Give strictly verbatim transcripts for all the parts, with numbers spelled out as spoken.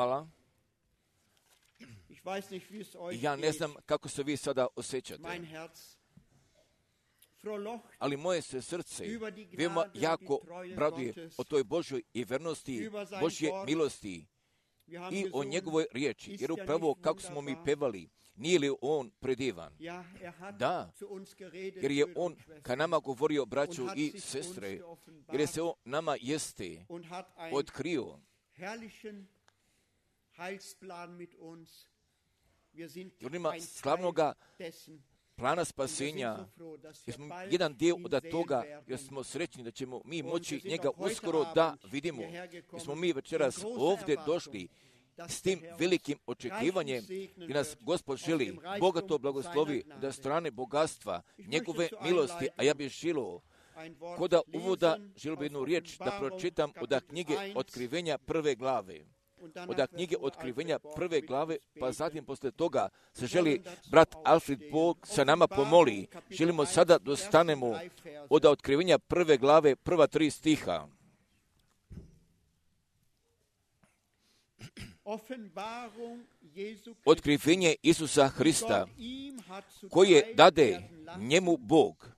Hvala. Ja ne znam kako se vi sada osjećate, ali moje se srce veoma jako raduje o toj Božoj i vernosti, Božje milosti i o njegovoj riječi, jer upravo kako smo mi pevali, nije li on predivan? Da, jer je on ka nama govorio, braću i sestre, jer je se on nama jeste otkrio jer ima slavnoga plana spasenja, jer smo jedan dio od toga, jer smo srećni da ćemo mi moći njega uskoro da vidimo. Jer smo mi večeras ovdje došli s tim velikim očekivanjem i nas Gospod želi bogato blagoslovi da strane bogatstva, njegove milosti, a ja bih želio koda uvoda želio bi jednu riječ da pročitam od knjige Otkrivenja prve glave. Od knjige Otkrivenja prve glave, pa zatim posle toga se želi brat Alfred Bog sa nama pomoli. Želimo sada dostanemo od Otkrivenja prve glave, prva tri stiha. Otkrivenje Isusa Hrista, koje dade njemu Bog,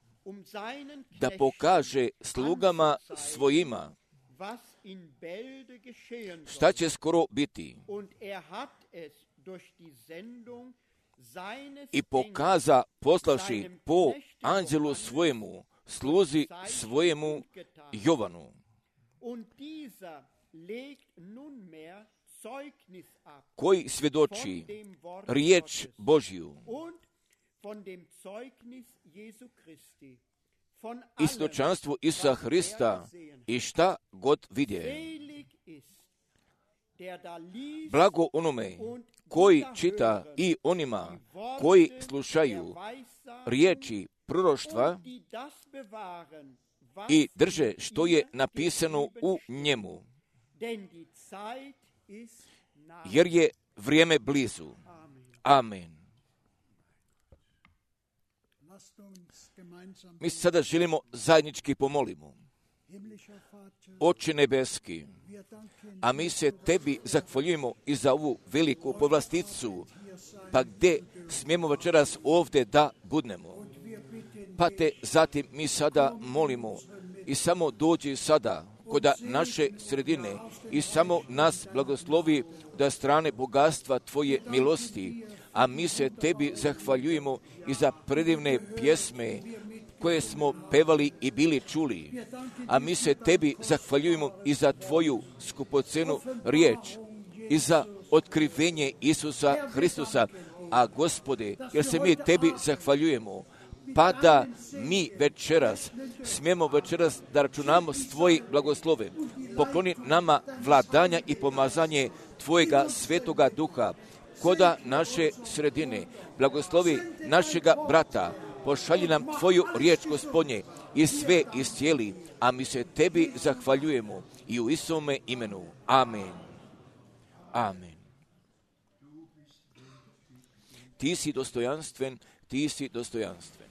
da pokaže slugama svojima šta će skoro biti, i pokaza poslavši po anđelu svojemu, sluzi svojemu Jovanu, koji svjedoči riječ Božju i svjedočanstvo Isusa Hrista i šta god vidje. Blago onome koji čita i onima koji slušaju riječi proroštva i drže što je napisano u njemu, jer je vrijeme blizu. Amen. Mi sada želimo zajednički pomolimo. Oče nebeski, a mi se tebi zahvaljujemo i za ovu veliku povlasticu, pa gdje smijemo večeras ovdje da budnemo. Pa te zatim mi sada molimo i samo dođi sada kod naše sredine i samo nas blagoslovi da strane bogatstva tvoje milosti, a mi se tebi zahvaljujemo i za predivne pjesme koje smo pevali i bili čuli, a mi se tebi zahvaljujemo i za tvoju skupocenu riječ i za otkrivenje Isusa Hristusa, a Gospode, jer se mi tebi zahvaljujemo, pa da mi večeras, smijemo večeras da računamo s tvoji blagoslove. Pokloni nama vladanja i pomazanje tvojega svetoga duha koda naše sredine. Blagoslovi našega brata, pošalji nam tvoju riječ, Gospodnje, i sve iscijeli, a mi se tebi zahvaljujemo i u Isome imenu. Amen. Amen. Ti si dostojanstven, ti si dostojanstven.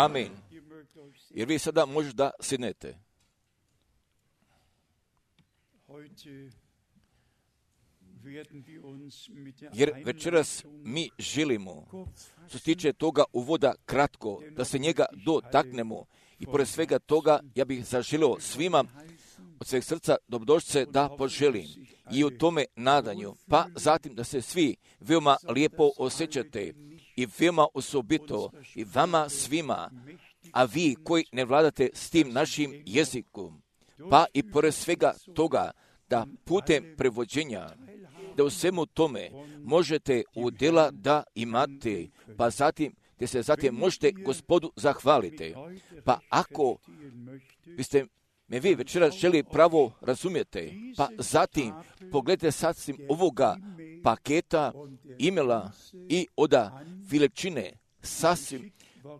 Amen. Jer vi sada možete da sjednete. Jer večeras mi želimo, što se tiče toga uvoda kratko, da se njega dotaknemo. I pored svega toga, ja bih zaželio svima od sveg srca dobrodošlice da poželim. i u tome nadanju, pa zatim da se svi veoma lijepo osjećate i veoma osobito i vama svima, a vi koji ne vladate s tim našim jezikom, pa i pored svega toga da putem prevođenja, da u svemu tome možete udjela da imate, pa zatim gdje se zatim možete Gospodu zahvalite. Pa ako biste me vi večeras želi pravo razumijete, pa zatim pogledajte sasvim ovoga paketa imela i oda veličine sasvim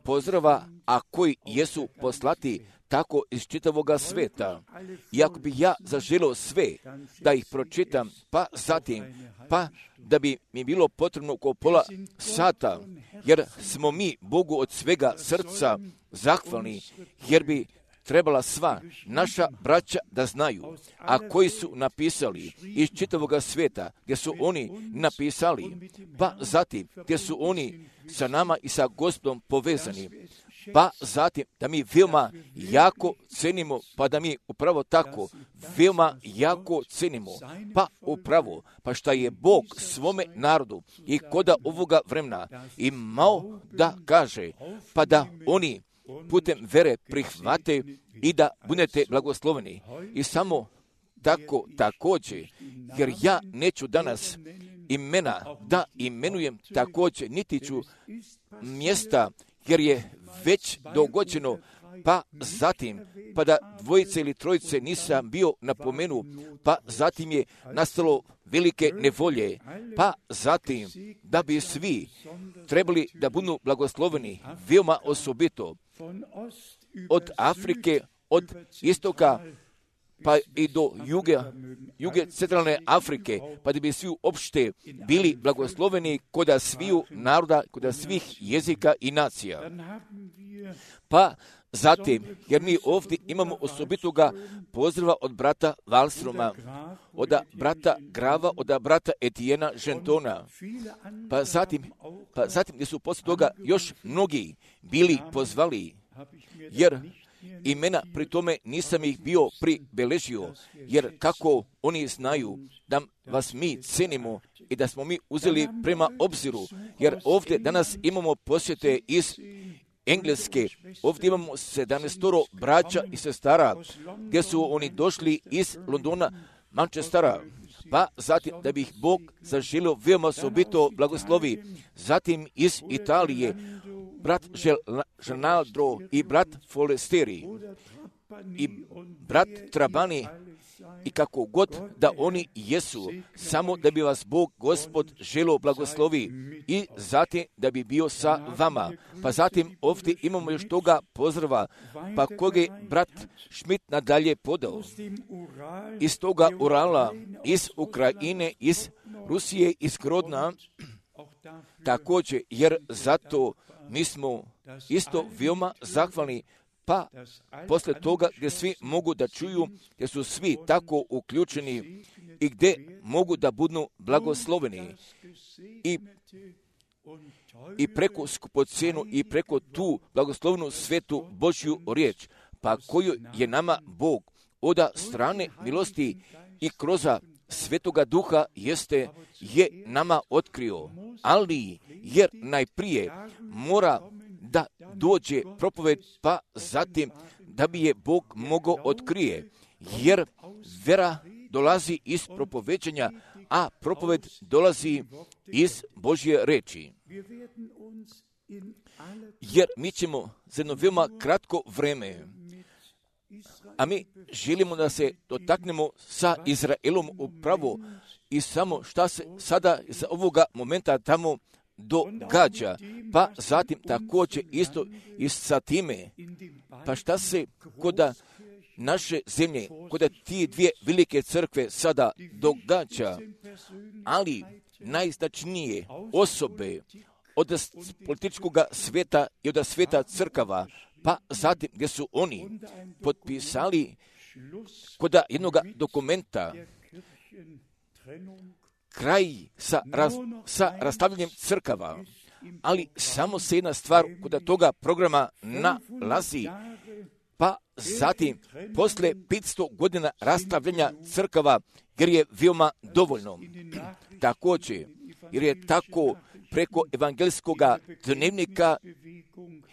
pozdrava, a koji jesu poslati tako iz čitavoga sveta. I ako bi ja zaželio sve da ih pročitam, pa zatim, pa da bi mi bilo potrebno oko pola sata, jer smo mi Bogu od svega srca zahvalni, jer bi trebala sva naša braća da znaju, a koji su napisali iz čitavoga sveta, gdje su oni napisali, pa zatim gdje su oni sa nama i sa Gospodom povezani, pa zatim da mi veoma jako cenimo, pa da mi upravo tako veoma jako cenimo, pa upravo, pa šta je Bog svome narodu i koda ovoga vremena imao da kaže, pa da oni putem vere prihvate i da budete blagosloveni. I samo tako također, jer ja neću danas imena da imenujem također, niti ću mjesta, jer je već dogođeno, pa zatim, pa da dvojice ili trojice nisam bio napomenu, pa zatim je nastalo velike nevolje, pa zatim da bi svi trebali da budu blagosloveni, veoma osobito, od Afrike, od istoka, pa i do juge, juge centralne Afrike, pa da bi svi uopšte bili blagosloveni koda sviju naroda, koda svih jezika i nacija. Pa zatim, jer mi ovdje imamo osobitoga pozdrava od brata Wallstroma, od brata Grava, od brata Etiena Gentona, pa zatim, pa zatim gdje su poslije toga još mnogi bili pozvali, jer imena pri tome nisam ih bio pribeležio, jer kako oni znaju da vas mi cenimo i da smo mi uzeli prema obziru, jer ovdje danas imamo posjete iz Engleske, ovdje imamo sedamnaestoro braća i sestara, gdje su oni došli iz Londona, Manchestera, pa zatim da bi ih Bog zaželio veoma osobito blagoslovi, zatim iz Italije, brat Žanaldro i brat Folesteri i brat Trabani, i kako god da oni jesu, samo da bi vas Bog Gospod želio blagoslovi i zatim da bi bio sa vama. Pa zatim ovdje imamo još toga pozdrava, pa koga je brat Schmidt nadalje podao. Iz toga Urala, iz Ukrajine, iz Rusije, iz Grodna, također, jer zato mi smo isto veoma zahvalni, pa posle toga gdje svi mogu da čuju, gdje su svi tako uključeni i gdje mogu da budu blagosloveni i, i preko skupocjenu i preko tu blagoslovnu svetu Božju riječ, pa koju je nama Bog od strane milosti i kroz Svetoga Duha jeste je nama otkrio, ali jer najprije mora da dođe propoved, pa zatim da bi je Bog mogao otkrije, jer vera dolazi iz propoveđenja, a propoved dolazi iz Božje reči. Jer mi ćemo za jedno veoma kratko vreme, a mi želimo da se dotaknemo sa Izraelom upravo i samo šta se sada za ovoga momenta tamo događa, pa zatim također isto i sa time, pa šta se koda naše zemlje, koda ti dvije velike crkve sada događa, ali najznačnije osobe od političkog sveta i od sveta crkava, pa zatim gdje su oni potpisali koda jednog dokumenta kraj sa, raz, sa rastavljanjem crkava, ali samo se jedna stvar kod toga programa nalazi, pa zatim posle petsto godina rastavljanja crkava jer je veoma dovoljno. Također, jer je tako preko evangelskog dnevnika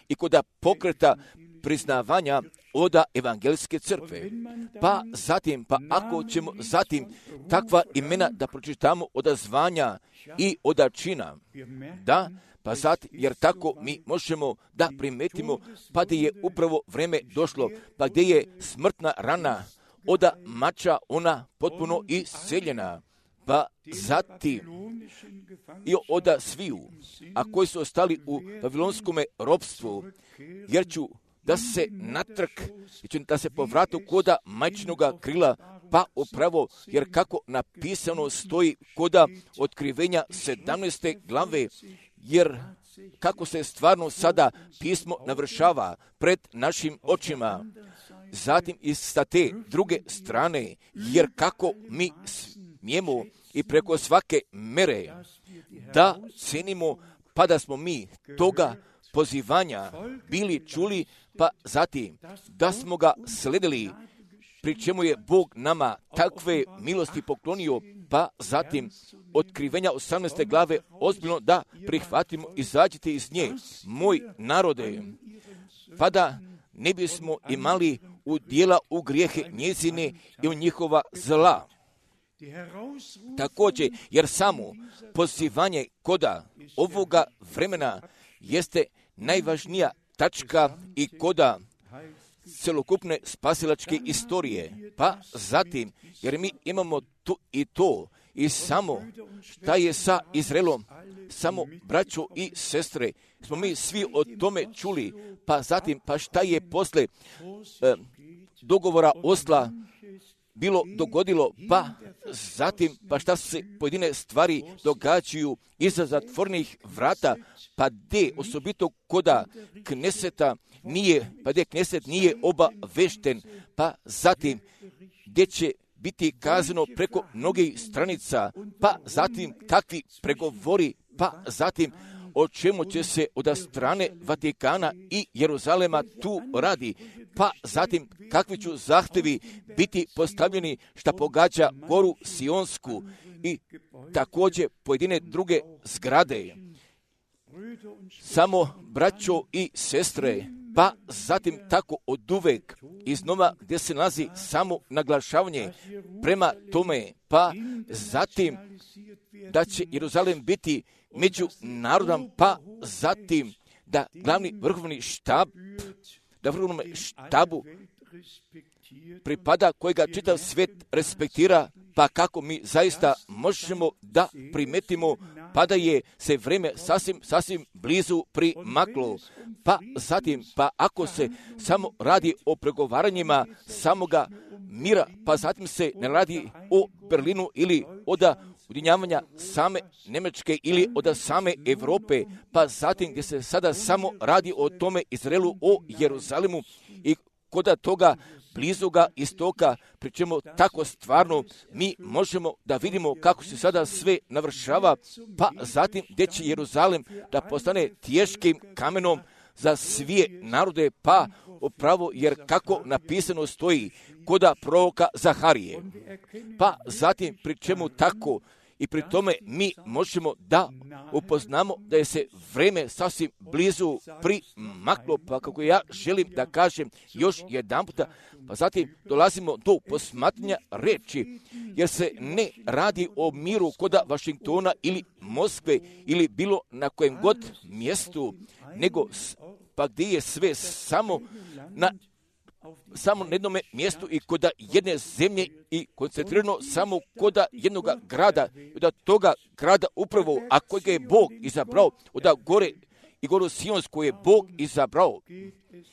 i kod pokreta priznavanja od evangelske crkve. Pa zatim, pa ako ćemo zatim takva imena da pročitamo od zvanja i od čina, da, pa zatim, jer tako mi možemo da primetimo, pa da je upravo vreme došlo, pa gdje je smrtna rana od mača ona potpuno isceljena. Pa zatim i od sviju, a koji su ostali u babilonskom ropstvu, jer ću da se natrk, da se povratu koda majčinoga krila, pa upravo, jer kako napisano stoji koda otkrivenja sedamnaeste glave, jer kako se stvarno sada pismo navršava pred našim očima. Zatim i sa te druge strane, jer kako mi smijemo i preko svake mere da cenimo, pa da smo mi toga pozivanja bili čuli, pa zatim da smo ga sledili, pri čemu je Bog nama takve milosti poklonio, pa zatim otkrivenja osamnaeste glave ozbiljno da prihvatimo, izađite iz nje, moj narode, pa da ne bismo imali udjela u grijehe njezine i u njihova zla. Također, jer samo pozivanje koda ovoga vremena jeste najvažnija tačka i koda celokupne spasilačke istorije. Pa zatim, jer mi imamo tu i to, i samo šta je sa Izraelom, samo braćo i sestre, smo mi svi o tome čuli, pa zatim, pa šta je posle eh, dogovora Osla bilo dogodilo, pa zatim, pa šta se pojedine stvari događaju iza zatvornih vrata, pa gdje osobito koda Kneseta nije, pa gdje Kneset nije obavešten, pa zatim gdje će biti kazano preko mnogih stranica, pa zatim kakvi pregovori, pa zatim o čemu će se od strane Vatikana i Jeruzalema tu radi, pa zatim kakvi će zahtjevi biti postavljeni šta pogađa goru Sionsku i također pojedine druge zgrade. Samo braćo i sestre, pa zatim tako od uvek iznova gdje se nalazi samo naglašavanje prema tome, pa zatim da će Jeruzalem biti među narodom, pa zatim da glavni vrhovni štab, da vrhovnom štabu pripada kojega čitav svijet respektira, pa kako mi zaista možemo da primetimo, pa da je se vreme sasvim, sasvim blizu primaklo. Pa zatim, pa ako se samo radi o pregovaranjima samoga mira, pa zatim se ne radi o Berlinu ili od ujedinjavanja same Njemačke ili od same Europe, pa zatim gdje se sada samo radi o tome Izraelu, o Jeruzalemu i koda toga blizoga istoka, pri čemu tako stvarno mi možemo da vidimo kako se sada sve navršava, pa zatim gdje će Jeruzalem da postane teškim kamenom za svije narode, pa upravo jer kako napisano stoji koda proroka Zaharije. Pa zatim pri čemu tako i pri tome mi možemo da upoznamo da je se vreme sasvim blizu primaklo, pa kako ja želim da kažem još jedan puta, pa zatim dolazimo do posmatranja reči, jer se ne radi o miru koda Vašingtona ili Moskve ili bilo na kojem god mjestu, nego pa gdje je sve samo na samo na jednom mjestu i koda jedne zemlje i koncentrirano samo koda jednog grada, od toga grada upravo, a kojega je Bog izabrao, od gore i goru Sionsku je Bog izabrao,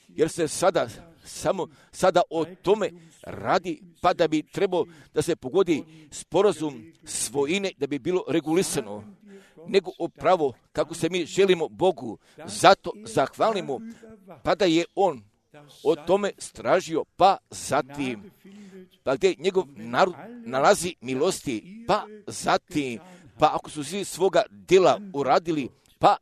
jer se sada samo sada o tome radi, pa da bi trebao da se pogodi sporazum svojine, da bi bilo regulisano, nego upravo kako se mi želimo Bogu, zato zahvalimo, pa da je On o tome stražio, pa zatim, pa gdje njegov narod nalazi milosti, pa zatim, pa ako su svi svoga djela uradili, pa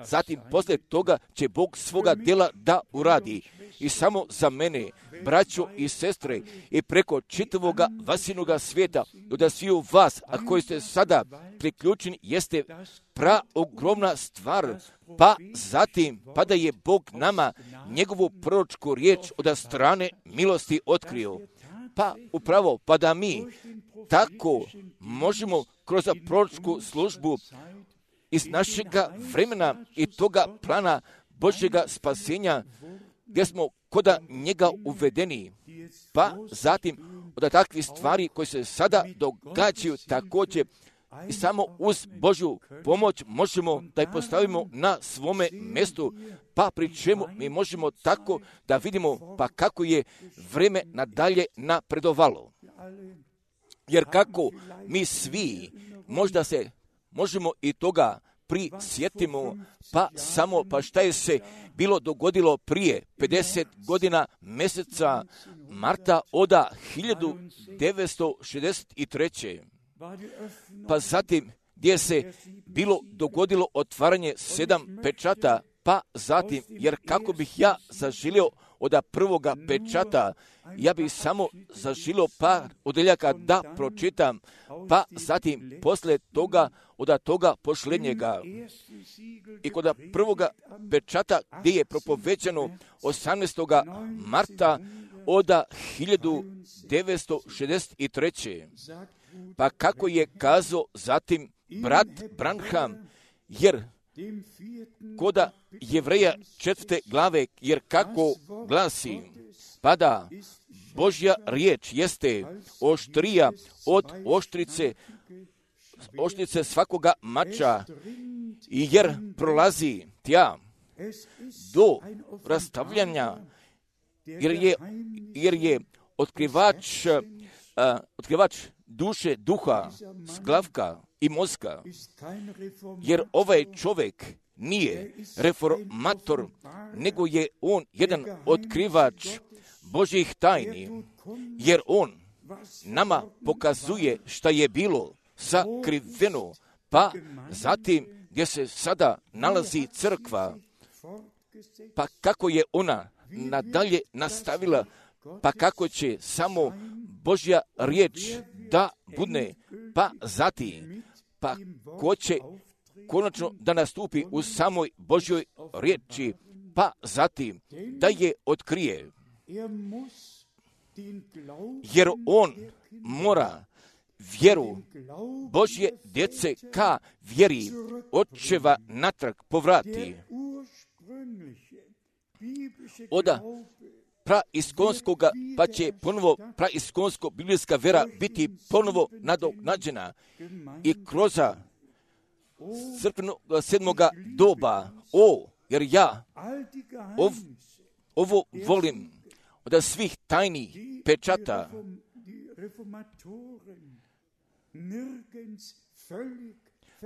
zatim poslije toga će Bog svoga djela da uradi. I samo za mene, braćo i sestre, i preko čitavoga vasinoga svijeta, da svi u vas, a koji ste sada priključeni, jeste pra ogromna stvar. Pa zatim, pa da je Bog nama njegovu proročku riječ od strane milosti otkrio. Pa upravo, pa da mi tako možemo kroz proročku službu iz našega vremena i toga plana Božjega spasenja, gdje smo koda njega uvedeni, pa zatim od takvih stvari koje se sada događaju također i samo uz Božju pomoć možemo da je postavimo na svome mjestu, pa pri čemu mi možemo tako da vidimo pa kako je vreme nadalje napredovalo. Jer kako mi svi možda se možemo i toga prisjetimo, pa samo pa šta je se bilo dogodilo prije pedeset godina mjeseca marta oda hiljadu devetsto šezdeset treće. Pa zatim gdje se bilo dogodilo otvaranje sedam pečata, pa zatim, jer kako bih ja zaželio od prvoga pečata, ja bih samo zaželio par odeljaka da pročitam, pa zatim poslije toga od toga posljednjega. I kod prvoga pečata gdje je propovećano osamnaestog marta od hiljadu devetsto šezdeset treće. Pa kako je kazao zatim brat Branham, jer koda Jevreja četvrte glave, jer kako glasi, pa da Božja riječ jeste oštrija od oštrice, oštrice svakoga mača, i jer prolazi tja do rastavljanja, jer je, jer je otkrivač, uh, otkrivač duše, duha, sklavka i mozga, jer ovaj čovjek nije reformator, nego je on jedan otkrivač Božjih tajni, jer on nama pokazuje šta je bilo sakriveno, pa zatim gdje se sada nalazi crkva, pa kako je ona nadalje nastavila, pa kako će samo Božja riječ da budne, pa zatim, pa ko će konačno da nastupi u samoj Božjoj riječi, pa zatim da je otkrije. Jer on mora vjeru Božje djece ka vjeri očeva natrag povrati. Oda praiskonskoga, pa će ponovo praiskonsko biblijska vera biti ponovo nadoknađena i kroz crkvenog sedmoga doba. O, jer ja ov, ovo volim od svih tajnih pečata,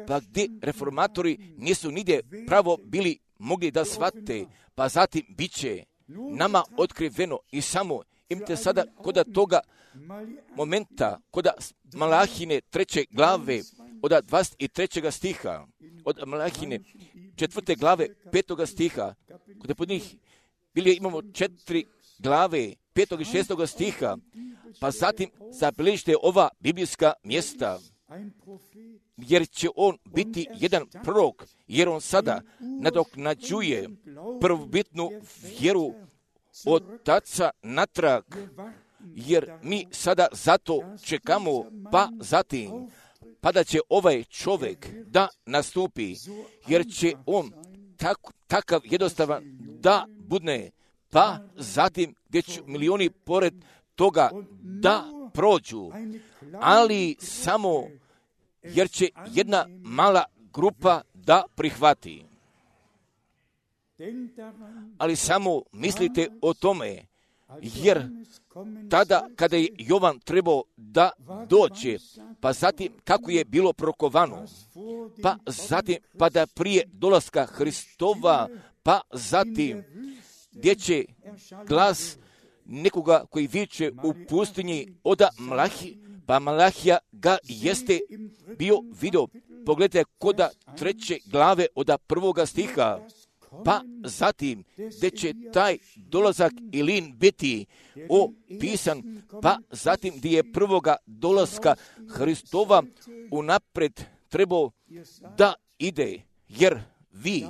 pa gdje reformatori nisu nigdje pravo bili mogli da shvate, pa zatim bit će nama otkriveno i samo imate sada koda toga momenta, koda Malahine treće glave, od dvadeset trećeg stiha, od Malahine četvrte glave, petoga stiha, kod pod njih bili imamo četiri glave, petog i šestog stiha, pa zatim zabilježite ova biblijska mjesta, jer će on biti jedan prorok, jer on sada nadoknađuje prvobitnu vjeru od taca natrag, jer mi sada zato čekamo, pa zatim, pa da će ovaj čovjek da nastupi, jer će on tak, takav jednostavan da budne, pa zatim gdje će milioni pored toga da prođu, ali samo jer će jedna mala grupa da prihvati. Ali samo mislite o tome, jer tada kada je Jovan trebao da dođe, pa zatim kako je bilo prokovano, pa zatim pa da prije dolaska Hristova, pa zatim gdje će glas nekoga koji viče u pustinji oda Malahi, pa Malahija ga jeste bio video, pogledajte koda treće glave od prvoga stiha, pa zatim gdje će taj dolazak Ilin biti opisan, pa zatim gdje je prvoga dolaska Hristova unapred trebao da ide, jer vi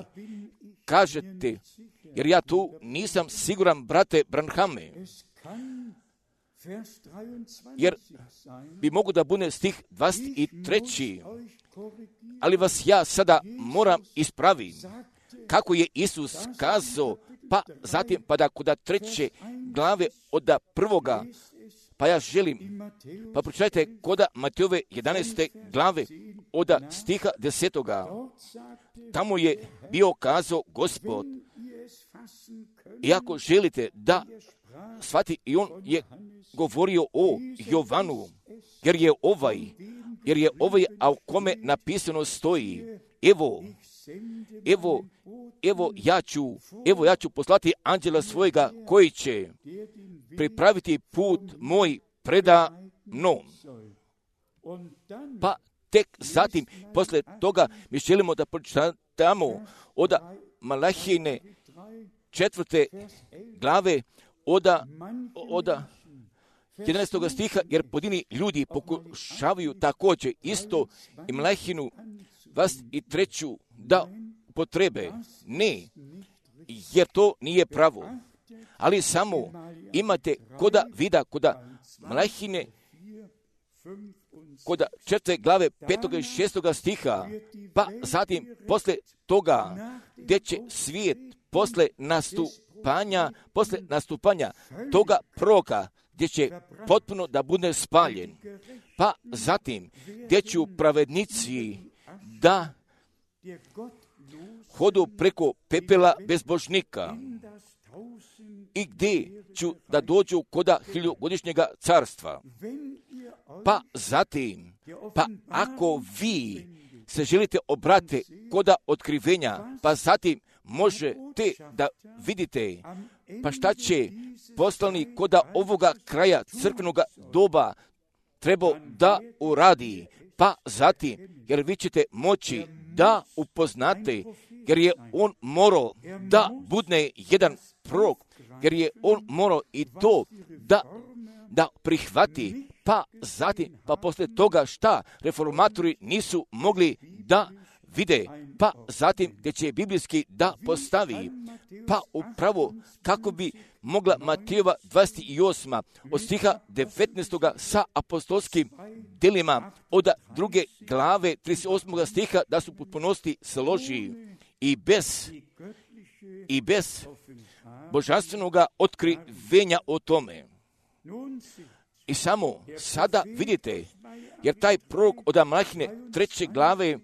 kažete, jer ja tu nisam siguran, brate Branhame, jer bi mogu da bude stih dvadeset treći, ali vas ja sada moram ispraviti. Kako je Isus kazao, pa zatim pa da kod treće glave od prvoga, pa ja želim, pa pročitajte koda Matejove jedanaeste glave od stiha desetoga. Tamo je bio kazao Gospod, i ako želite da shvati, i on je govorio o Jovanu, jer je ovaj, jer je ovaj, a u kome napisano stoji, evo, evo, evo ja ću, evo ja ću poslati anđela svojega koji će pripraviti put moj preda mnom. Pa tek zatim, posle toga, mi želimo da pročitamo od Malahijine četvrte glave od, od jedanaestog stiha, jer pojedini ljudi pokušavaju također isto i Malahijinu vas i treću da potrebe. Ne, jer to nije pravo. Ali samo imate koda vida, koda Malahijine, koda četvrte glave petoga i šestoga stiha, pa zatim posle toga gdje će svijet posle nastupanja, posle nastupanja toga proroka, gdje će potpuno da bude spaljen, pa zatim gdje će pravednici da hodu preko pepela bezbožnika i gdje ću da dođu koda hiljogodišnjega carstva. Pa zatim, pa ako vi se želite obrati koda otkrivenja, pa zatim možete da vidite, pa šta će poslanik koda ovoga kraja crkvenog doba trebao da uradi, pa zatim, jer vi ćete moći da upoznate, jer je on morao da budne jedan prorok, jer je on morao i to da, da prihvati, pa zatim, pa posle toga šta reformatori nisu mogli da vide, pa zatim gdje će biblijski da postavi, pa upravo kako bi mogla Matejova dvadeset osma od stiha devetnaestog sa apostolskim delima od druge glave trideset osmog stiha da su potpunosti složi i bez i bez božanstvenog otkrivenja o tome. I samo sada vidite, jer taj prorok od Malahijine treće glave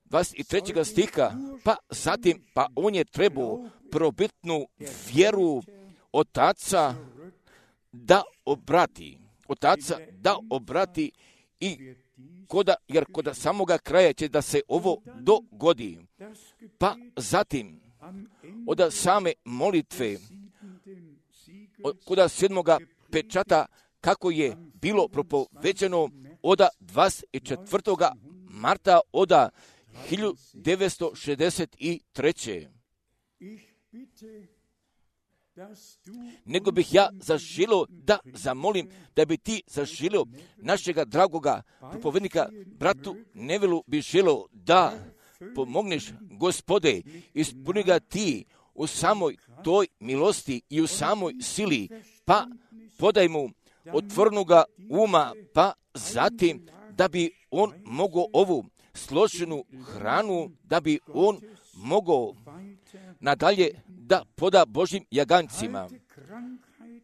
dvadeset trećeg stiha, pa zatim, pa on je trebao probitnu vjeru otaca da obrati. Otaca da obrati i koda, jer koda samoga kraja će da se ovo dogodi. Pa zatim, od same molitve, koda sedmoga pečata, kako je bilo propovećeno od dvadeset četvrtog marta od hiljadu devetsto šezdeset treće. Nego bih ja zaželio da zamolim da bi ti zaželio našega dragoga propovednika bratu Nevilu bi želio da pomogneš, Gospode, ispuni ga ti u samoj toj milosti i u samoj sili, pa podaj mu otvornoga uma, pa zatim da bi on mogao ovu složenu hranu, da bi on mogao nadalje da poda Božim jagancima.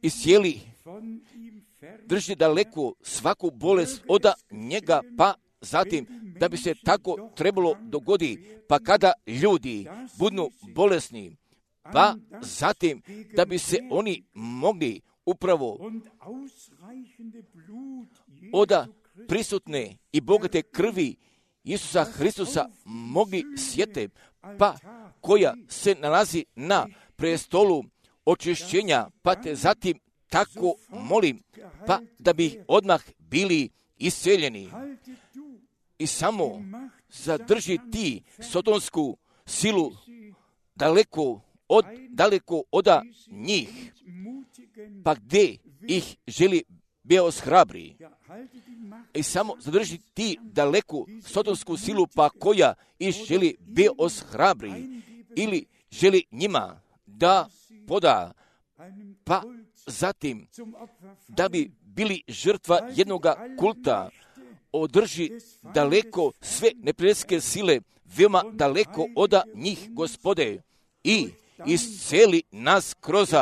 I sjeli drži daleko svaku bolest od njega, pa zatim da bi se tako trebalo dogodi, pa kada ljudi budu bolesni, pa zatim da bi se oni mogli upravo od prisutne i bogate krvi Isusa Hristusa mogli sjete, pa koja se nalazi na prestolu očišćenja, pa te zatim tako molim, pa da bi odmah bili isceljeni. i samo zadrži ti sodonsku silu daleko od, daleko oda njih, pa gdje ih želi bio shrabri. I samo zadrži ti daleku sodonsku silu, pa koja ih želi bio shrabri, ili želi njima da poda, pa zatim da bi bili žrtva jednoga kulta, održi daleko sve neprijateljske sile, veoma daleko oda njih, Gospode, i isceli nas kroz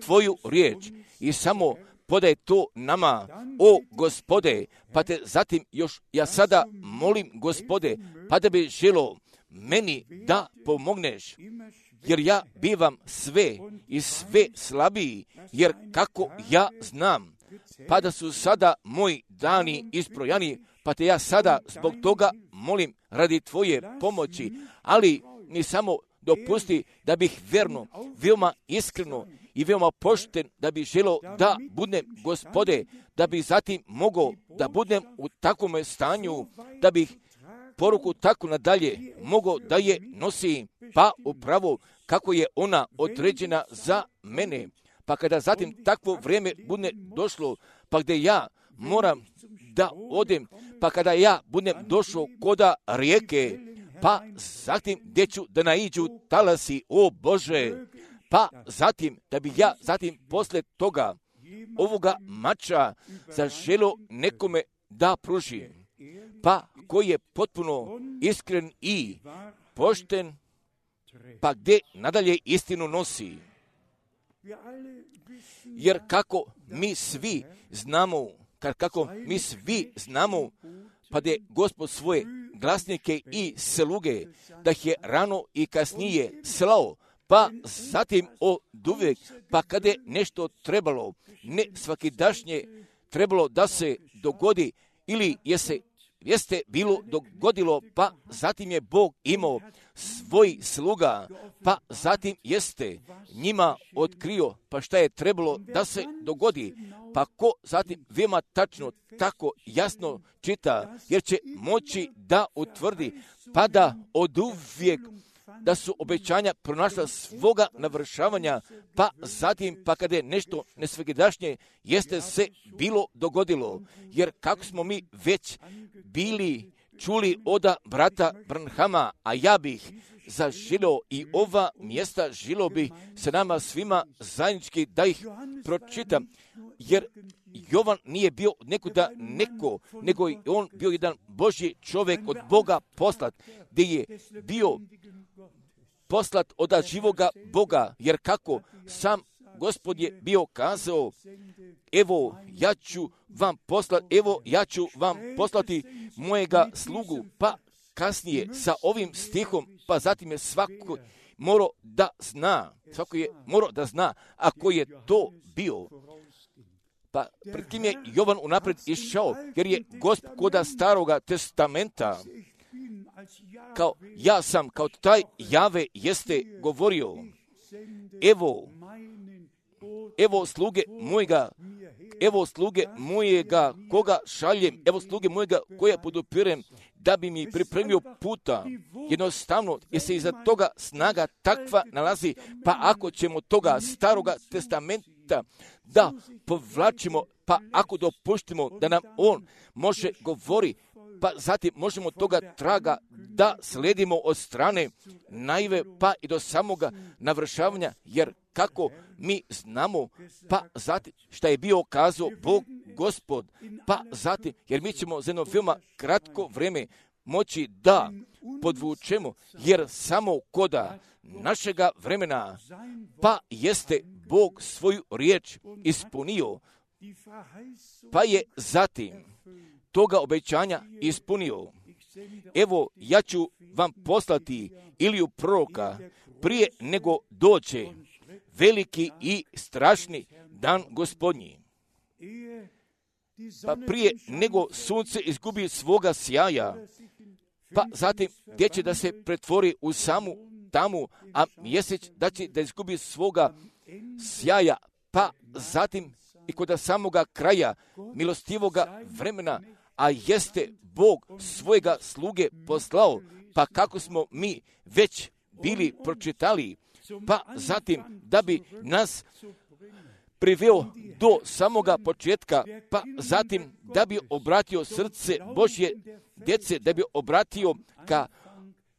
Tvoju riječ i samo podaj to nama, o Gospode, pa te zatim još ja sada molim, Gospode, pa da bi želo meni da pomogneš, jer ja bivam sve i sve slabiji, jer kako ja znam, pa da su sada moji dani isprojani, pa te ja sada zbog toga molim radi Tvoje pomoći, ali ni samo dopusti da bih verno, veoma iskreno i veoma pošten, da bi želo da budem, Gospode, da bi zatim mogao da budem u takvom stanju, da bih poruku tako nadalje mogao da je nosim, pa upravo kako je ona određena za mene. Pa kada zatim takvo vrijeme bude došlo, pa gdje ja moram da odem, pa kada ja budem došao koda rijeke, pa zatim gdje ću da naiđu talasi, o Bože, pa zatim da bi ja zatim posle toga ovoga mača zaželo nekome da pružim, pa koji je potpuno iskren i pošten, pa gdje nadalje istinu nosi. Jer kako mi svi znamo, kako mi svi znamo, pa da je Gospod svoje glasnike i sluge, da ih je rano i kasnije slao, pa zatim od uvijek, pa kada je nešto trebalo, ne svakidašnje trebalo da se dogodi, ili je se jeste bilo dogodilo, pa zatim je Bog imao svoj sluga, pa zatim jeste njima otkrio, pa šta je trebalo da se dogodi, pa ko zatim veoma tačno tako jasno čita, jer će moći da utvrdi, pa da oduvijek da su obećanja pronašla svoga navršavanja, pa zatim, pa kada je nešto nesvakidašnje, jeste se bilo dogodilo. Jer kako smo mi već bili čuli od brata Branhama, a ja bih zaželio i ova mjesta želio bih se nama svima zajednički da ih pročitam, jer Jovan nije bio nekuda neko, nego je on bio jedan Božji čovjek od Boga poslat, gdje je bio poslat od živoga Boga, jer kako sam Gospod je bio kazao, evo ja ću vam poslati, evo ja ću vam poslati mojega slugu, pa kasnije sa ovim stihom, pa zatim je svako morao da zna, svako je morao da zna, a ko je to bio. Pa pred kim je Jovan unapred išao, jer je Gospod koda staroga testamenta, kao ja sam, kao taj Jave jeste govorio, evo, evo sluge mojega, evo sluge mojega koga šaljem, evo sluge mojega koja podupirem, da bi mi pripremio puta. Jednostavno, jer se iza toga snaga takva nalazi, pa ako ćemo toga staroga testamenta da povlačimo, pa ako dopuštimo da nam on može govori, pa zatim možemo toga traga da sledimo od strane naive, pa i do samoga navršavanja, jer kako mi znamo, pa zatim šta je bio kazao Bog Gospod, pa zatim, jer mi ćemo za jedno veoma kratko vrijeme moći da podvučemo, jer samo koda našega vremena, pa jeste Bog svoju riječ ispunio, pa je zatim toga obećanja ispunio. Evo, ja ću vam poslati Iliju proroka prije nego dođe veliki i strašni dan Gospodnji. Pa prije nego sunce izgubi svoga sjaja, pa zatim gdje će da se pretvori u samu tamu, a mjesec da će da izgubi svoga sjaja, pa zatim i kod samoga kraja milostivoga vremena, a jeste Bog svojega sluge poslao, pa kako smo mi već bili pročitali, pa zatim da bi nas priveo do samoga početka, pa zatim da bi obratio srce Božje djece, da bi obratio ka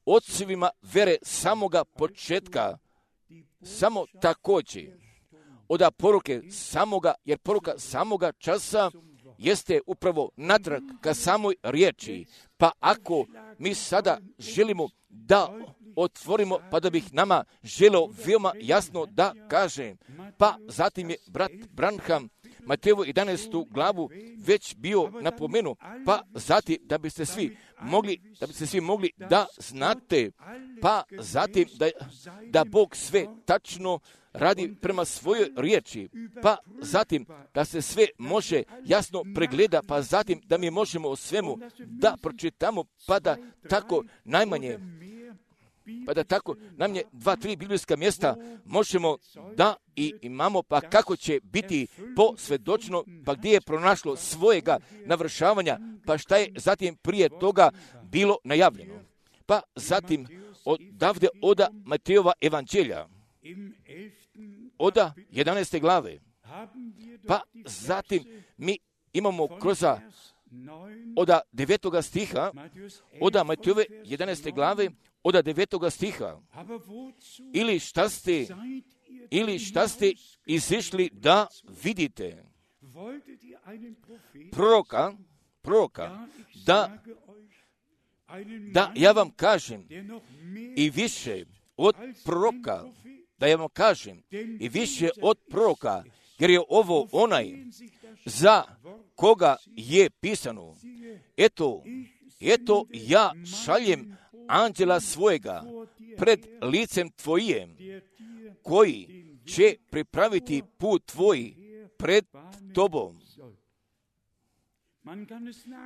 ocevima vere samoga početka, samo također od poruke samoga, jer poruka samoga časa jeste upravo natrag ka samoj riječi. Pa ako mi sada želimo da otvorimo, pa da bih nama želeo veoma jasno da kažem, pa zatim je brat Branham Matejevu jedanaestu glavu već bio napomenu, pa zatim da biste svi mogli, da biste svi mogli da znate, pa zatim da, da Bog sve tačno radi prema svojoj riječi, pa zatim da se sve može jasno pregleda, pa zatim da mi možemo o svemu da pročitamo, pa da tako najmanje pa da tako najmanje dva, tri biblijska mjesta možemo da i imamo, pa kako će biti posvjedočeno, pa gdje je pronašlo svojega navršavanja, pa šta je zatim prije toga bilo najavljeno. Pa zatim odavde oda Matejova evanđelja, oda jedanaeste glave, pa zatim mi imamo kroz oda devetoga stiha, oda Matejove jedanaeste glave, oda devetoga stiha, ili šta ste, ili šta ste izišli da vidite proroka, proroka, da, da ja vam kažem i više od proroka, da ja vam kažem i više od proroka, jer je ovo onaj za koga je pisano. Eto, eto ja šaljem anđela svojega pred licem tvojim, koji će pripraviti put tvoj pred tobom.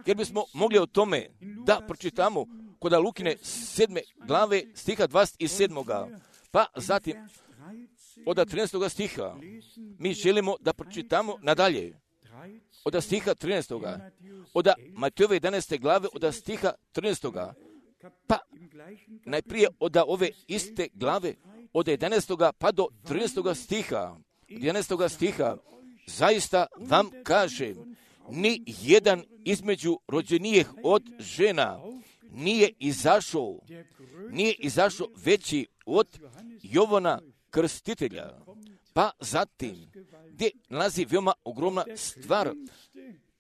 Jer bismo mogli o tome da pročitamo kod Lukine sedme glave stiha dvadeset sedam. Pa zatim od trinaestog stiha mi želimo da pročitamo nadalje. Od stiha trinaestog. Od Matejove jedanaeste glave od stiha trinaestog. Pa najprije od ove iste glave od jedanaestog pa do trinaestog stiha. Od jedanaestog stiha zaista vam kažem, ni jedan između rođenijih od žena nije izašao, nije izašao veći od Jovana Krstitelja. Pa zatim, gdje nalazi veoma ogromna stvar,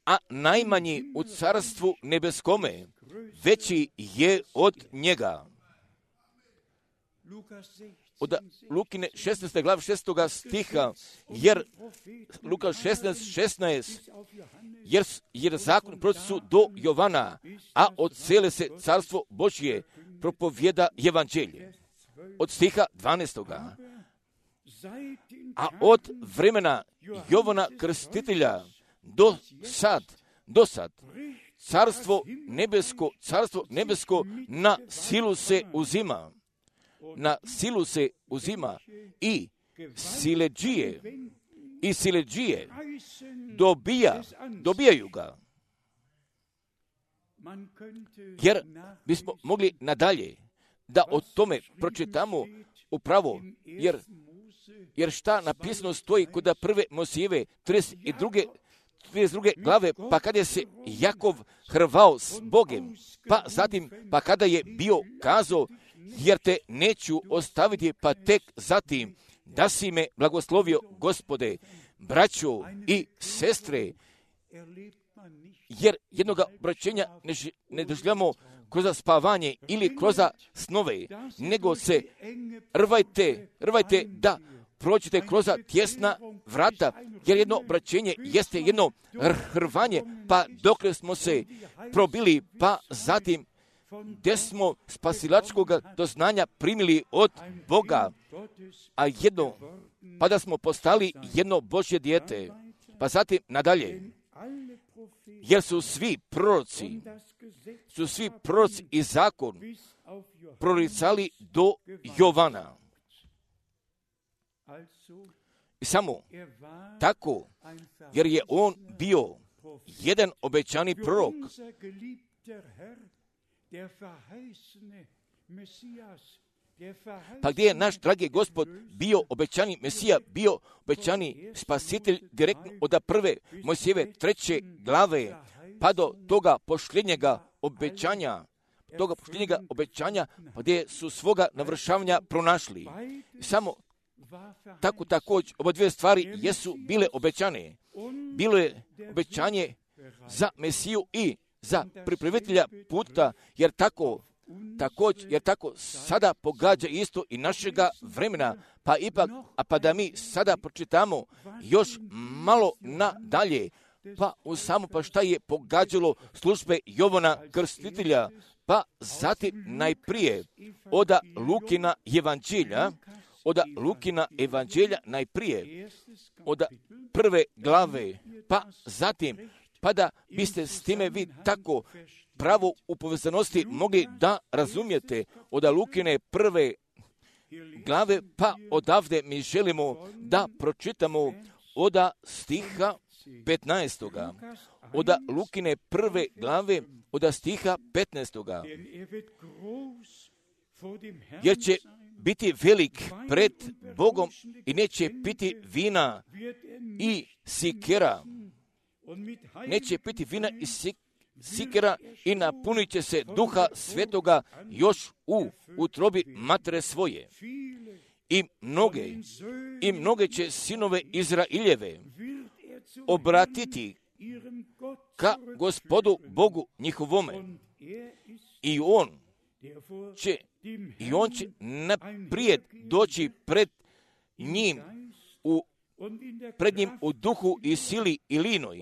a najmanji u carstvu nebeskome, veći je od njega. Od Lukine šesnaeste glave šestoga stiha, jer Luka šesnaest šesnaest, jer, jer zakon proroci su do Jovana, a od cele se carstvo Božje propovjeda evanđelje. Od stiha dvanaestog. A od vremena Jovana Krstitelja do sad, do sad, carstvo nebesko, carstvo nebesko na silu se uzima. Na silu se uzima i siledžije, i siledžije dobija, dobijaju ga. Jer bismo mogli nadalje da o tome pročitamo upravo, jer, jer šta napisano stoji kod prve Mojsijeve trideset druge trideset druge glave, pa kada je se Jakov hrvao s Bogem, pa zatim, pa kada je bio kazao, jer te neću ostaviti, pa tek zatim da si me blagoslovio, Gospode, braćo i sestre, jer jednog obraćenja ne, ne doživljamo kroz spavanje ili kroz snove, nego se rvajte, rvajte da prođete kroz tjesna vrata, jer jedno obraćenje jeste jedno hrvanje, pa dokle smo se probili, pa zatim gdje smo spasilačkog doznanja primili od Boga, a jedno, pa da smo postali jedno Božje dijete. Pa zatim nadalje, jer su svi proroci, su svi proroci i zakon proricali do Jovana. I samo tako, jer je on bio jedan obećani prorok. Pa gdje je naš dragi Gospod bio obećani Mesija, bio obećani spasitelj direktno od prve Mojsijeve treće glave, pa do toga posljednjega obećanja, toga posljednjega obećanja, pa gdje su svoga navršavanja pronašli. Samo tako također, oba dvije stvari jesu bile obećane. Bilo je obećanje za Mesiju i za pripravitelja puta, jer tako također, jer tako sada pogađa isto i našega vremena, pa ipak, a pa da mi sada pročitamo još malo nadalje, pa u samo pa šta je pogađalo službe Jovana Krstitelja, pa zatim najprije od Lukina evanđelja, od Lukina evanđelja najprije, od prve glave, pa zatim, pa da biste s time vi tako pravo u povezanosti mogli da razumijete od Lukine prve glave, pa odavde mi želimo da pročitamo od stiha petnaestoga. Od Lukine prve glave, od stiha petnaestoga. Jer će biti velik pred Bogom i neće piti vina i sikera. Neće piti vina i sikera i napunit će se Duha Svetoga još u utrobi matere svoje. I mnoge, i mnoge će sinove Izraeljeve obratiti ka Gospodu Bogu njihovome. I on će, i on će naprijed doći pred njim u pred njim u duhu i sili i linoj,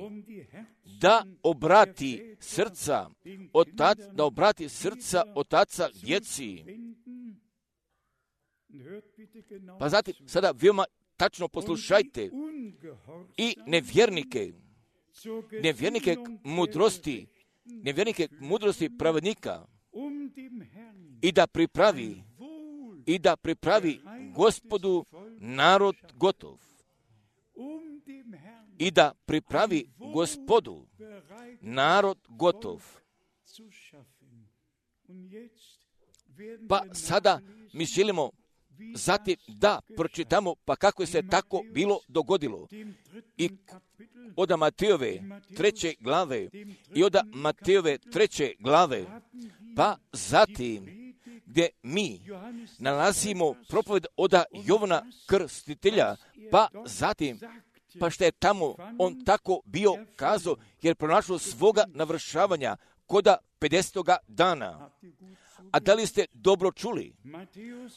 da obrati srca otac, da obrati srca otaca djeci. Pa zatim, sada veoma tačno poslušajte i nevjernike, nevjernike mudrosti, nevjernike mudrosti pravednika, i da pripravi, i da pripravi Gospodu narod gotov. I da pripravi Gospodu narod gotov. Pa sada mi želimo zatim da pročitamo pa kako se tako bilo dogodilo. I od Matejove treće glave i od Matejove treće glave, pa zatim gdje mi nalazimo propoved od Jovana Krstitelja, pa zatim, pa što je tamo on tako bio kazao, jer pronašao svoga navršavanja koda pedesetoga dana. A da li ste dobro čuli?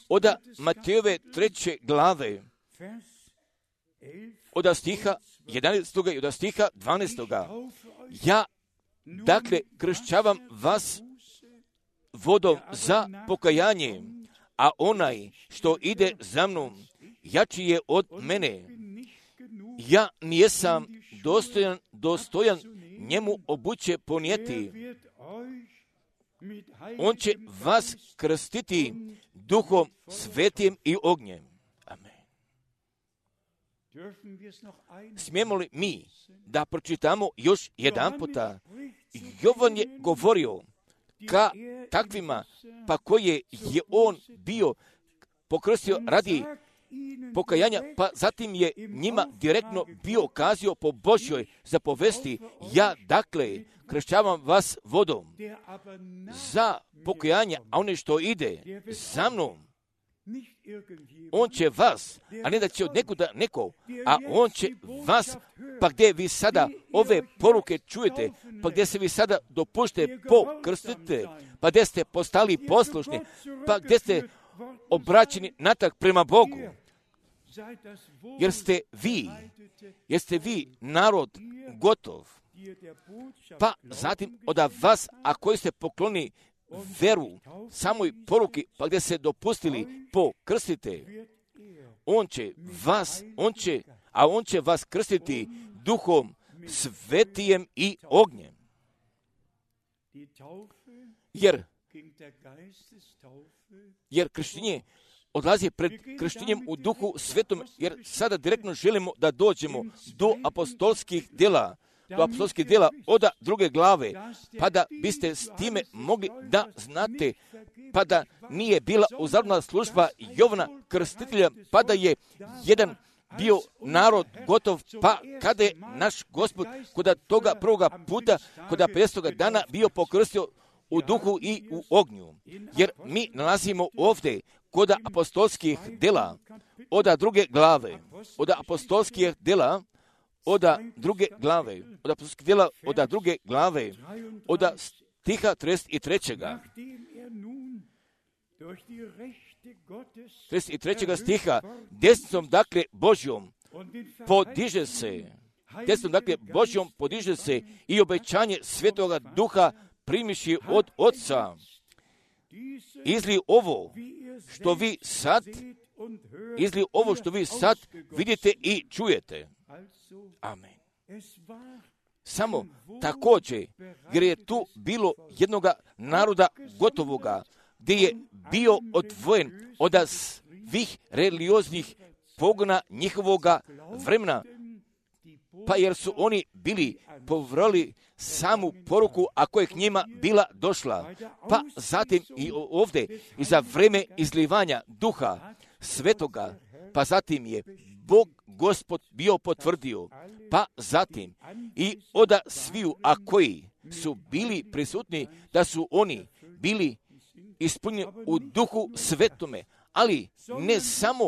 Od Matejove treće glave, od stiha jedanaestoga i od stiha dvanaestoga. Ja, dakle, kršćavam vas vodom za pokajanje, a onaj što ide za mnom, jači je od mene. Ja nijesam dostojan, dostojan njemu obuće ponijeti. On će vas krstiti Duhom Svetim i ognjem. Amen. Smijemo li mi da pročitamo još jedan puta? Jovan je govorio ka takvima, pa koje je on bio pokrstio radi pokajanja, pa zatim je njima direktno bio kazio po Božjoj zapovesti, ja dakle kršćavam vas vodom za pokajanje, a one što ide za mnom, on će vas, a ne da će od nekuda neko, a on će vas, pa gdje vi sada ove poruke čujete, pa gdje se vi sada dopušte pokrstite, pa gdje ste postali poslušni, pa gdje ste obraćeni natrag prema Bogu, jer ste vi, jer ste vi narod gotov, pa zatim od vas, a koji ste pokloni veru samoj poruki, pa gdje se dopustili pokrstite, on će vas, on će, a on će vas krstiti Duhom Svetijem i ognjem. Jer, jer krštenje odlazi pred krštenjem u Duhu Svetom, jer sada direktno želimo da dođemo do apostolskih djela, do apostolskih djela od druge glave, pa da biste s time mogli da znate, pa da nije bila uzarna služba Jovana Krstitelja, pa da je jedan bio narod gotov, pa kada je naš Gospod kod toga prvoga puta, kod pedesetog dana bio pokrstio u duhu i u ognju. Jer mi nalazimo ovdje kod apostolskih djela od druge glave, od apostolskih djela od druge glave, od apostolskih djela od druge glave, od stiha trideset trećeg trideset trećeg stiha, desnicom dakle Božjom podiže se, desnicom dakle Božjom podiže se i obećanje Svetoga Duha primiši od Otca. Izli ovo što vi sad, izli ovo što vi sad vidite i čujete. Amen. Samo također, jer je tu bilo jednoga naroda gotovoga, gdje je bio odvojen od svih religioznih pogona njihovoga vremena, pa jer su oni bili povrali samu poruku, a koja je k njima bila došla. Pa zatim i ovdje, i za vreme izlivanja Duha Svetoga, pa zatim je Bog Gospod bio potvrdio, pa zatim i od sviju, a koji su bili prisutni, da su oni bili ispunjeni u Duhu Svetome, ali ne samo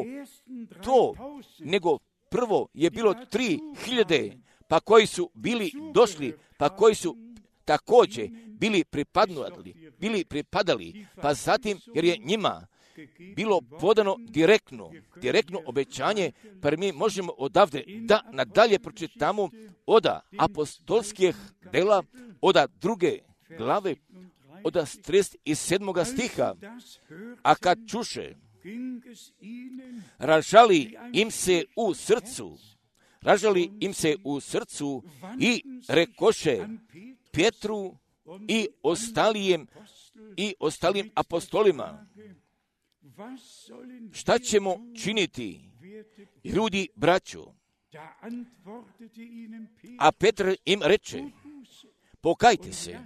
to, nego prvo je bilo tri hiljade, pa koji su bili došli, pa koji su također bili pripadnuli, bili pripadali, pa zatim jer je njima bilo podano direktno, direktno obećanje, pa mi možemo odavde da nadalje pročitamo od apostolskih djela, od druge glave, od trideset sedmog stiha, a kad čuše, ražali im se u srcu, ražali im se u srcu i rekoše Petru i ostalijem i ostalim apostolima, šta ćemo činiti, ljudi braćo? A Petar im reče, pokajte se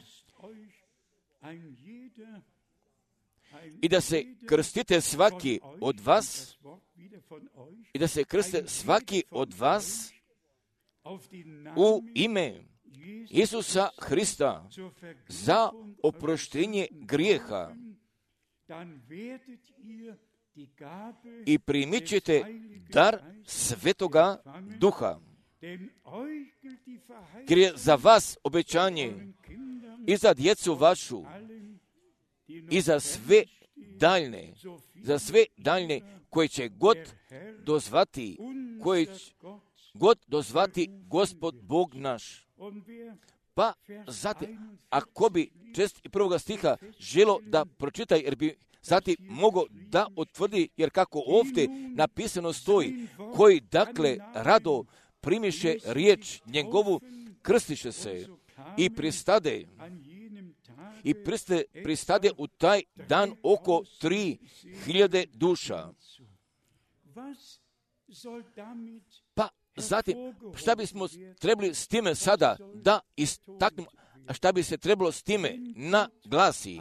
i da se krstite svaki od vas, i da se krste svaki od vas u ime Isusa Hrista za oproštenje grijeha i primit ćete dar Svetoga Duha. Jer je za vas obećanje i za djecu vašu i za sve daljne, za sve daljne koje će god dozvati, koje će god dozvati Gospod Bog naš. Pa zatim, ako bi čest i prvoga stiha želo da pročitaj, jer bi zatim mogo da utvrdi, jer kako ovdje napisano stoji, koji dakle rado primiše riječ njegovu, krstiše se i pristade, i priste, pristade u taj dan oko tri hiljade duša. Pa zatim, šta bismo trebali s time sada da istaknemo, šta bi se trebalo s time naglasi?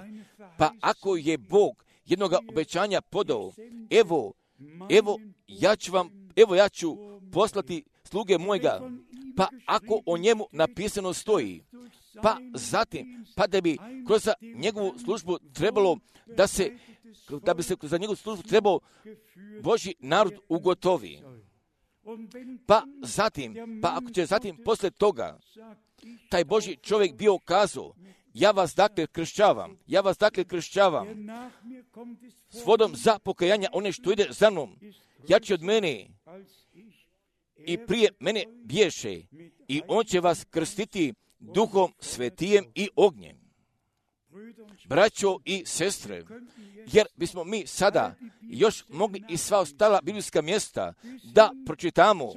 Pa ako je Bog jednoga obećanja podao, evo, evo ja ću vam, evo ja ću poslati sluge mojega, pa ako o njemu napisano stoji, pa zatim, pa da bi kroz njegovu službu trebalo da se, da bi se za njegovu službu trebao Božji narod ugotovi. Pa zatim, pa ako će zatim posle toga taj Božji čovjek bio kazao, ja vas dakle kršćavam, ja vas dakle kršćavam s vodom za pokajanja, one što ide za mnom, jači od mene i prije mene bješe, i on će vas krstiti Duhom Svetijem i ognjem. Braćo i sestre, jer bismo mi sada još mogli i sva ostala biblijska mjesta da pročitamo,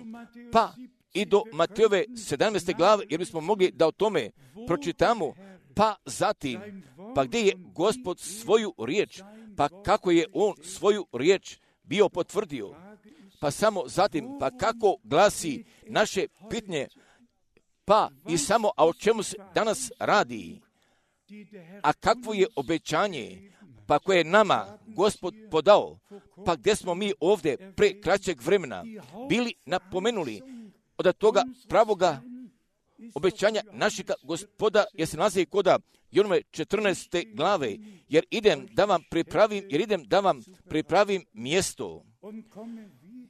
pa i do Matejove sedamnaeste glave, jer bismo mogli da o tome pročitamo, pa zatim, pa gdje je Gospod svoju riječ, pa kako je on svoju riječ bio potvrdio, pa samo zatim, pa kako glasi naše pitanje, Pa i samo, a o čemu se danas radi? A kakvo je obećanje, pa koje je nama Gospod podao, pa gdje smo mi ovdje pre kraćeg vremena bili napomenuli od toga pravoga obećanja našega Gospoda, jer se nalazi koda Jonove četrnaeste glave, jer idem da vam pripravim, jer idem da vam pripravim mjesto.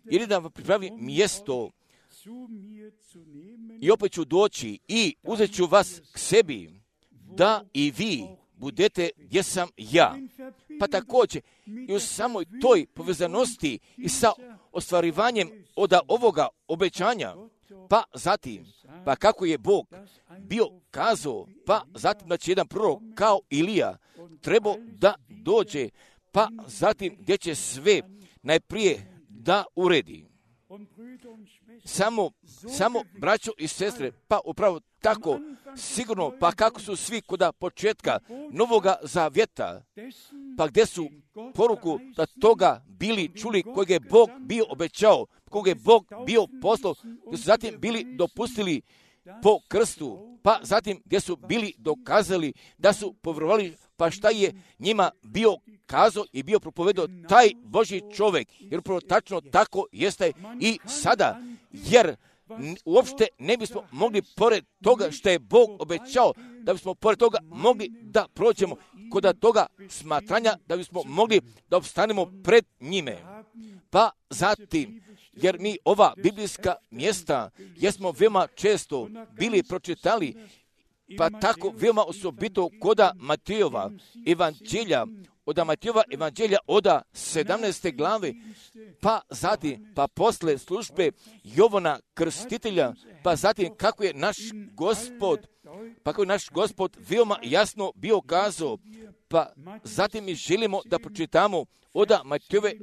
Jer idem da vam pripravim mjesto i opet ću doći i uzet ću vas k sebi, da i vi budete gdje sam ja. Pa također i u samoj toj povezanosti i sa ostvarivanjem od ovoga obećanja, pa zatim, pa kako je Bog bio kazao, pa zatim da će jedan prorok kao Ilija trebao da dođe, pa zatim gdje će sve najprije da uredi. Samo, samo braćo i sestre, pa upravo tako, sigurno, pa kako su svi koda početka Novoga Zavjeta, pa gdje su poruku da toga bili čuli kojeg je Bog bio obećao, kojeg je Bog bio poslao, gdje su zatim bili dopustili po krstu, pa zatim gdje su bili dokazali da su povjerovali, pa šta je njima bio kazao i bio propovedao taj Božji čovjek, jer upravo tačno tako jeste i sada, jer uopšte ne bismo mogli pored toga što je Bog obećao, da bismo pored toga mogli da prođemo kod toga smatranja, da bismo mogli da opstanemo pred njime. Pa zatim, jer mi ova biblijska mjesta jesmo veoma često bili pročitali, pa tako veoma osobito koda Matejova evanđelja, od Matejova evanđelja oda sedamnaeste glave, pa zatim, pa posle službe Jovana Krstitelja, pa zatim kako je naš Gospod, pa kako je naš Gospod veoma jasno bio kazao, pa zatim mi želimo da pročitamo oda Matejove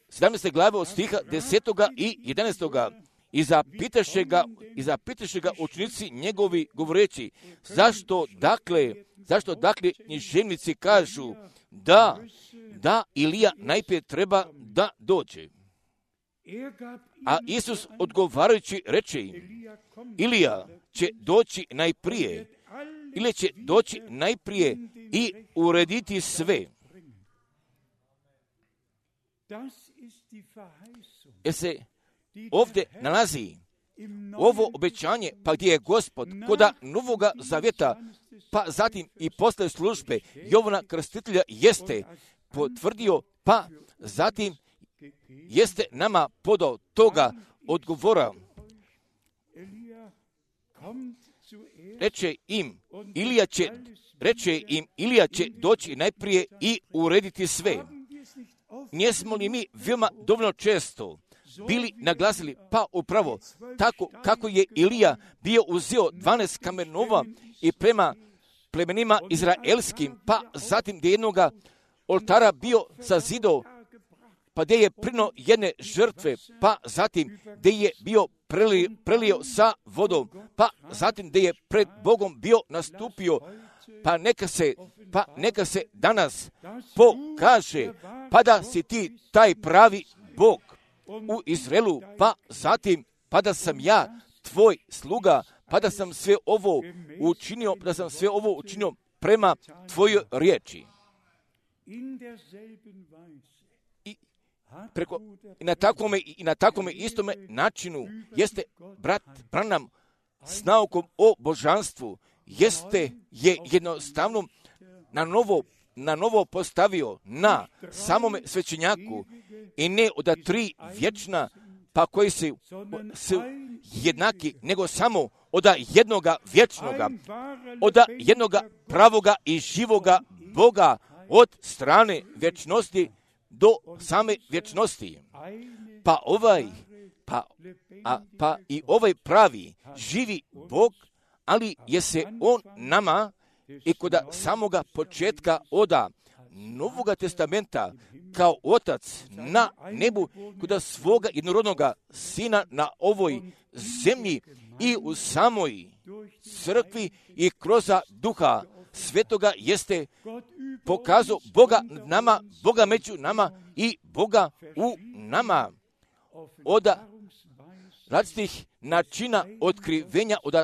sedamnaeste glave od stiha desetoga i jedanaestoga. I zapitaše ga, i zapitaše ga učenici njegovi govoreći, zašto dakle, zašto dakle književnici kažu da, da Ilija najprije treba da dođe. A Isus odgovarajući reče im, Ilija će doći najprije, ili će doći najprije i urediti sve. Jer se ovdje nalazi ovo obećanje, pa gdje je Gospod koda Novoga Zavjeta, pa zatim i posle službe Jovana Krstitelja jeste potvrdio, pa zatim jeste nama podao toga odgovora. Reče im, Ilija će, reče im, Ilija će doći najprije i urediti sve. Nismo li mi veoma dovoljno često bili naglasili, pa upravo tako kako je Ilija bio uzeo dvanaest kamenova i prema plemenima izraelskim, pa zatim gdje jednoga oltara bio sazidao, pa gdje je prino jedne žrtve, pa zatim gdje je bio prelio, prelio sa vodom, pa zatim gdje je pred Bogom bio nastupio, pa neka se, pa neka se danas pokaže, pa da si ti taj pravi Bog u Izraelu, pa zatim, pa da sam ja tvoj sluga, pa da sam sve ovo učinio, pa da sam sve ovo učinio prema tvojoj riječi. I, preko, i na takvome, i na takvome istome načinu jeste brat Branham s naukom o božanstvu, jeste je jednostavno na novo na novo postavio na samome svećenjaku i ne od tri vječna, pa koji su, su jednaki, nego samo od jednoga vječnoga, od jednoga pravoga i živoga Boga od strane vječnosti do same vječnosti. Pa ovaj, pa, a, pa i ovaj pravi živi Bog, ali je se on nama i kod samoga početka oda Novoga testamenta kao otac na nebu, kod svoga jednorodnoga sina na ovoj zemlji i u samoj crkvi i kroz duha svetoga jeste pokazao Boga nama, Boga među nama i Boga u nama. Oda različitih načina otkrivenja od,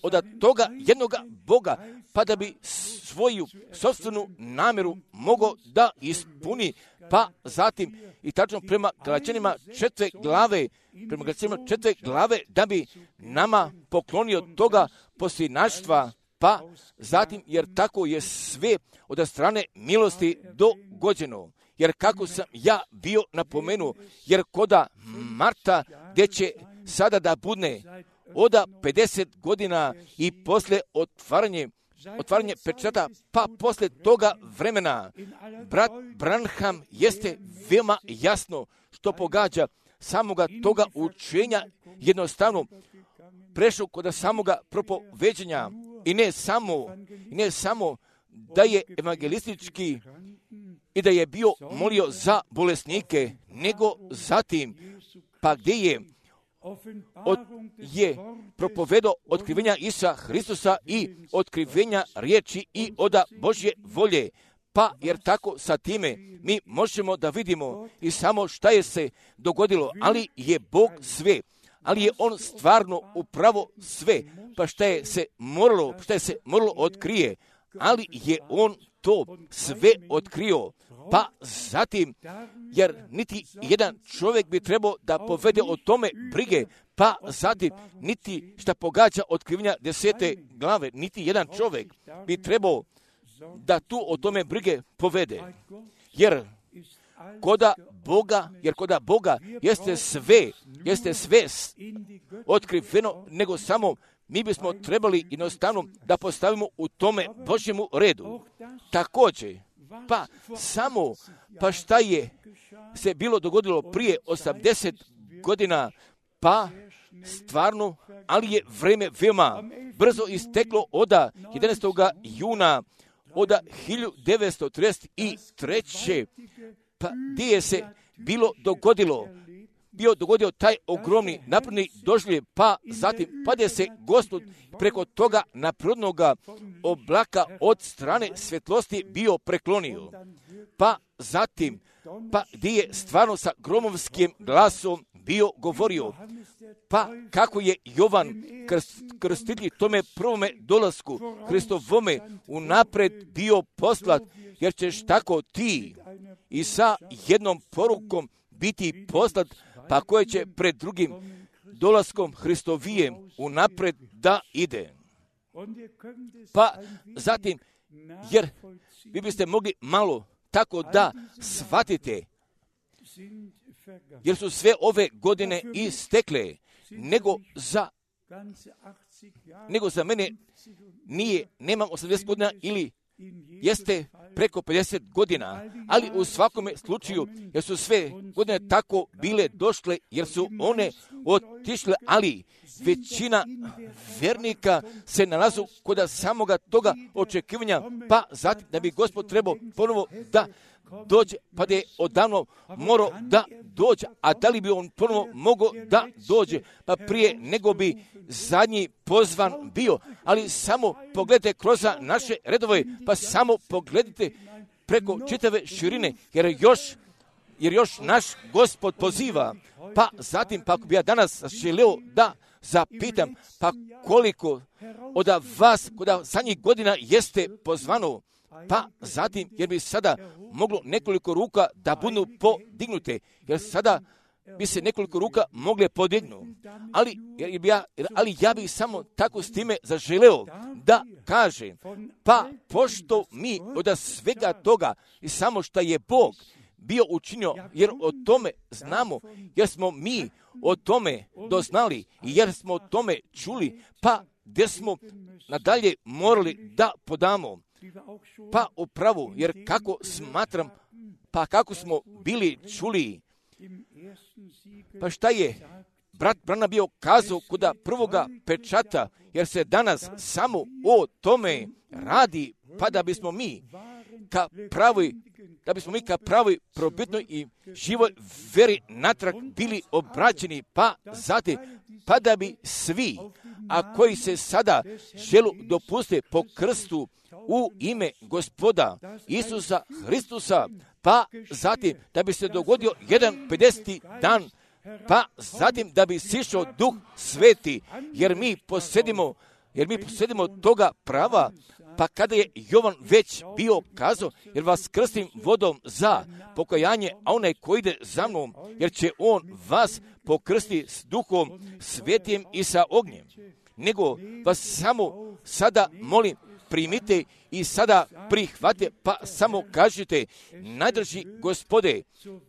od toga jednoga Boga, pa da bi svoju sopstvenu namjeru mogao da ispuni, pa zatim i tačno prema Galaćanima četvrte glave, prema Galaćanima četvrte glave, da bi nama poklonio toga posljednaštva, pa zatim, jer tako je sve od strane milosti dogođeno. Jer kako sam ja bio napomenuo, jer koda Marta, gdje će sada da budne oda pedeset godina i posle otvaranje, otvaranje pečata, pa posle toga vremena, brat Branham jeste veoma jasno što pogađa samoga toga učenja, jednostavno prešao kod samoga propoveđenja i ne samo, i ne samo da je evangelistički i da je bio molio za bolesnike, nego zatim, pa gdje je, od, je propovedao otkrivenja Isusa Hristusa i otkrivenja riječi i oda Božje volje. Pa jer tako sa time mi možemo da vidimo i samo šta je se dogodilo, ali je Bog sve, ali je On stvarno upravo sve, pa šta je se moralo, šta je se moralo otkrije, ali je On to sve otkrio. Pa zatim, jer niti jedan čovjek bi trebao da povede o tome brige, pa zatim niti šta pogađa otkrivenja desete glave, niti jedan čovjek bi trebao da tu o tome brige povede. Jer koda Boga, jer koda Boga jeste sve, jeste sve otkriveno, nego samo mi bismo trebali jednostavno da postavimo u tome Božjemu redu. Također, pa samo, pa šta je se bilo dogodilo prije osamdeset godina, pa stvarno, ali je vreme veoma brzo isteklo oda jedanaestog juna oda hiljadu devetsto trideset treće pa gdje je se bilo dogodilo, bio dogodio taj ogromni napredni doživljaj, pa zatim pade se Gospod preko toga naprednoga oblaka od strane svjetlosti bio preklonio. Pa zatim, pa gdje je stvarno sa gromovskim glasom bio govorio, pa kako je Jovan krst, krstitelj tome prvome dolasku Hristovome unapred bio poslat, jer ćeš tako ti i sa jednom porukom biti poslat, pa koje će pred drugim dolaskom Hristovijem unapred da ide. Pa zatim, jer vi biste mogli malo tako da shvatite, jer su sve ove godine istekle, nego za, nego za mene nije, nemam osamdeset godina ili jeste preko pedeset godina, ali u svakome slučaju, jer su sve godine tako bile došle, jer su one otišle, ali većina vernika se nalazu kod samoga toga očekivanja, pa zatim da bi Gospod trebao ponovo da dođe, pa da je odavno morao da dođe, a da li bi on ponovo mogao da dođe, pa prije nego bi zadnji pozvan bio, ali samo pogledajte kroz naše redove, pa samo pogledajte preko čitave širine, jer još, jer još naš Gospod poziva, pa zatim, pa ako bi ja danas želeo da zapitam, pa koliko od vas, kod zadnjih godina jeste pozvano, pa zatim, jer bi sada moglo nekoliko ruka da budu podignute, jer sada bi se nekoliko ruka mogle podignuti. Ali, jer bi ja, ali ja bih samo tako s time zaželeo da kažem, pa pošto mi od svega toga i samo što je Bog bio učinio, jer o tome znamo, jer smo mi o tome doznali i jer smo o tome čuli, pa gdje smo nadalje morali da podamo. Pa upravo, jer kako smatram, pa kako smo bili čuli, pa šta je brat Branham bio kazao kod prvoga pečata, jer se danas samo o tome radi, pa da bismo mi ka pravi, da bismo mi ka pravi probitnoj i živoj veri natrag bili obraćeni, pa zatim, pa da bi svi, a koji se sada želu dopuste po krstu u ime Gospoda Isusa Hristusa, pa zatim da bi se dogodio jedan pedeseti dan pa zatim da bi sišao Duh Sveti, jer mi posjedimo, jer mi posjedimo toga prava, pa kada je Jovan već bio kazao, jer vas krstim vodom za pokajanje, a onaj koji ide za mnom, jer će on vas pokrsti s Duhom Svetijem i sa ognjem. Nego vas samo sada molim, primite i sada prihvate, pa samo kažite, najdrži Gospode,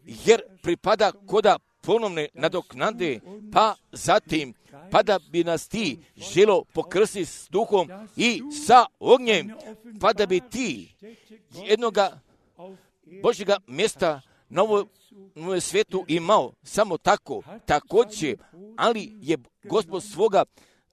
jer pripada koda ponovne nadoknade, pa zatim, pa da bi nas ti želo pokrsti s Duhom i sa ognjem, pa da bi ti jednoga Božjega mjesta na ovoj svijetu imao samo tako, također, ali je Gospod svoga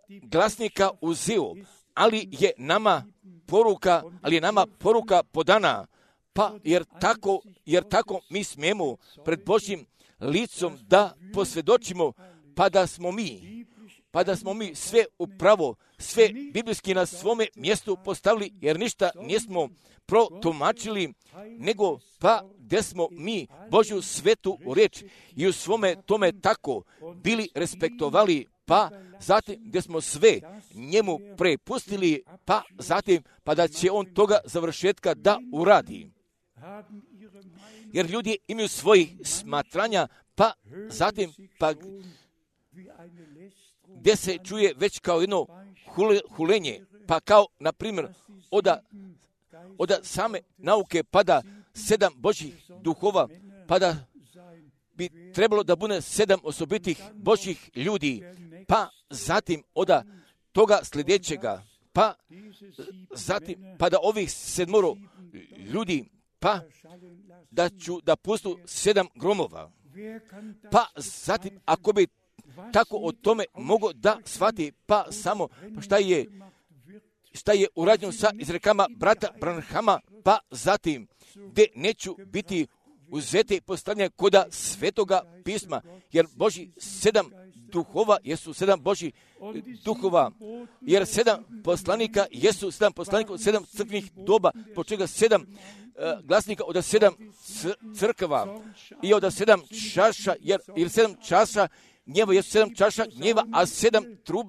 glasnika uzeo, ali je nama poruka, ali je nama poruka podana, pa jer tako, jer tako mi smijemo pred Božjim licom da posvjedočimo, pa da smo mi, pa da smo mi sve upravo, sve biblijski na svome mjestu postavili, jer ništa nismo protumačili, nego pa gdje smo mi Božju svetu riječ i u svome tome tako bili respektovali, pa zatim gdje smo sve njemu prepustili, pa zatim pa da će on toga završetka da uradi. Jer ljudi imaju svojih smatranja, pa zatim pa gdje se čuje već kao jedno hulenje, pa kao na primjer oda, oda same nauke pada sedam Božjih duhova, pa da bi trebalo da bude sedam osobitih Božjih ljudi, pa zatim oda toga sljedećega, pa zatim pa da ovih sedmoro ljudi, pa da ću da pustu sedam gromova, pa zatim ako bi tako o tome mogo da shvati, pa samo pa šta je šta je urađeno sa izrekama brata Branhama, pa zatim gdje neću biti uzeti postavljanje koda svetoga pisma, jer Božji sedam duhova jesu sedam Božji duhova, jer sedam poslanika jesu sedam poslanika od sedam crkvenih doba, po čega sedam uh, glasnika od sedam crkava i od sedam čaša, jer, jer sedam čaša gnjeva jesu sedam čaša gnjeva, a sedam trub,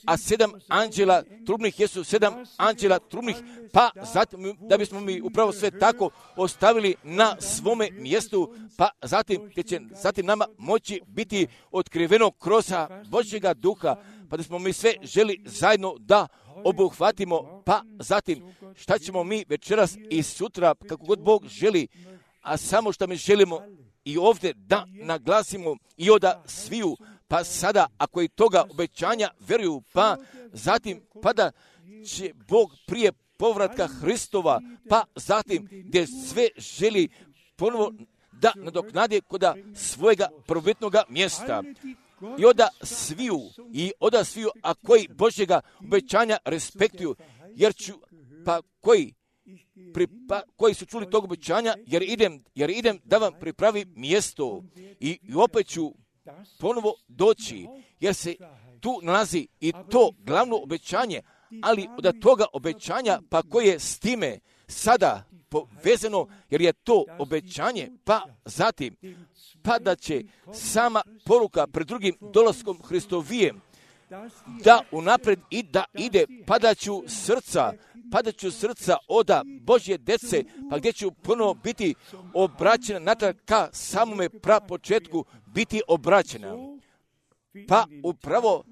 a sedam anđela trubnih jesu sedam anđela trubnih, pa zatim da bismo mi upravo sve tako ostavili na svome mjestu, pa zatim će zatim nama moći biti otkriveno kroz Božjega duha, pa da smo mi sve želi zajedno da obuhvatimo, pa zatim šta ćemo mi večeras i sutra, kako god Bog želi, a samo što mi želimo i ovdje da naglasimo i oda sviju, pa sada ako i toga obećanja vjeruju, pa zatim pa da će Bog prije povratka Hristova, pa zatim gdje sve želi ponovo da nadoknade koda svojega prvobitnoga mjesta. I oda sviju, i oda sviju, a koji Božjega obećanja respektuju, jer ću, pa koji Pripa, koji su čuli tog obećanja, jer idem, jer idem da vam pripravim mjesto i, i opet ću ponovo doći, jer se tu nalazi i to glavno obećanje, ali od toga obećanja, pa koje je s time sada povezano, jer je to obećanje, pa zatim, pa da će sama poruka pred drugim dolaskom Hristovijem da unapred i da ide, padaću srca, padaću srca oda Božje dece, pa gdje ću ponovo biti obraćena natrag ka samome prapočetku biti obraćena. Pa upravo,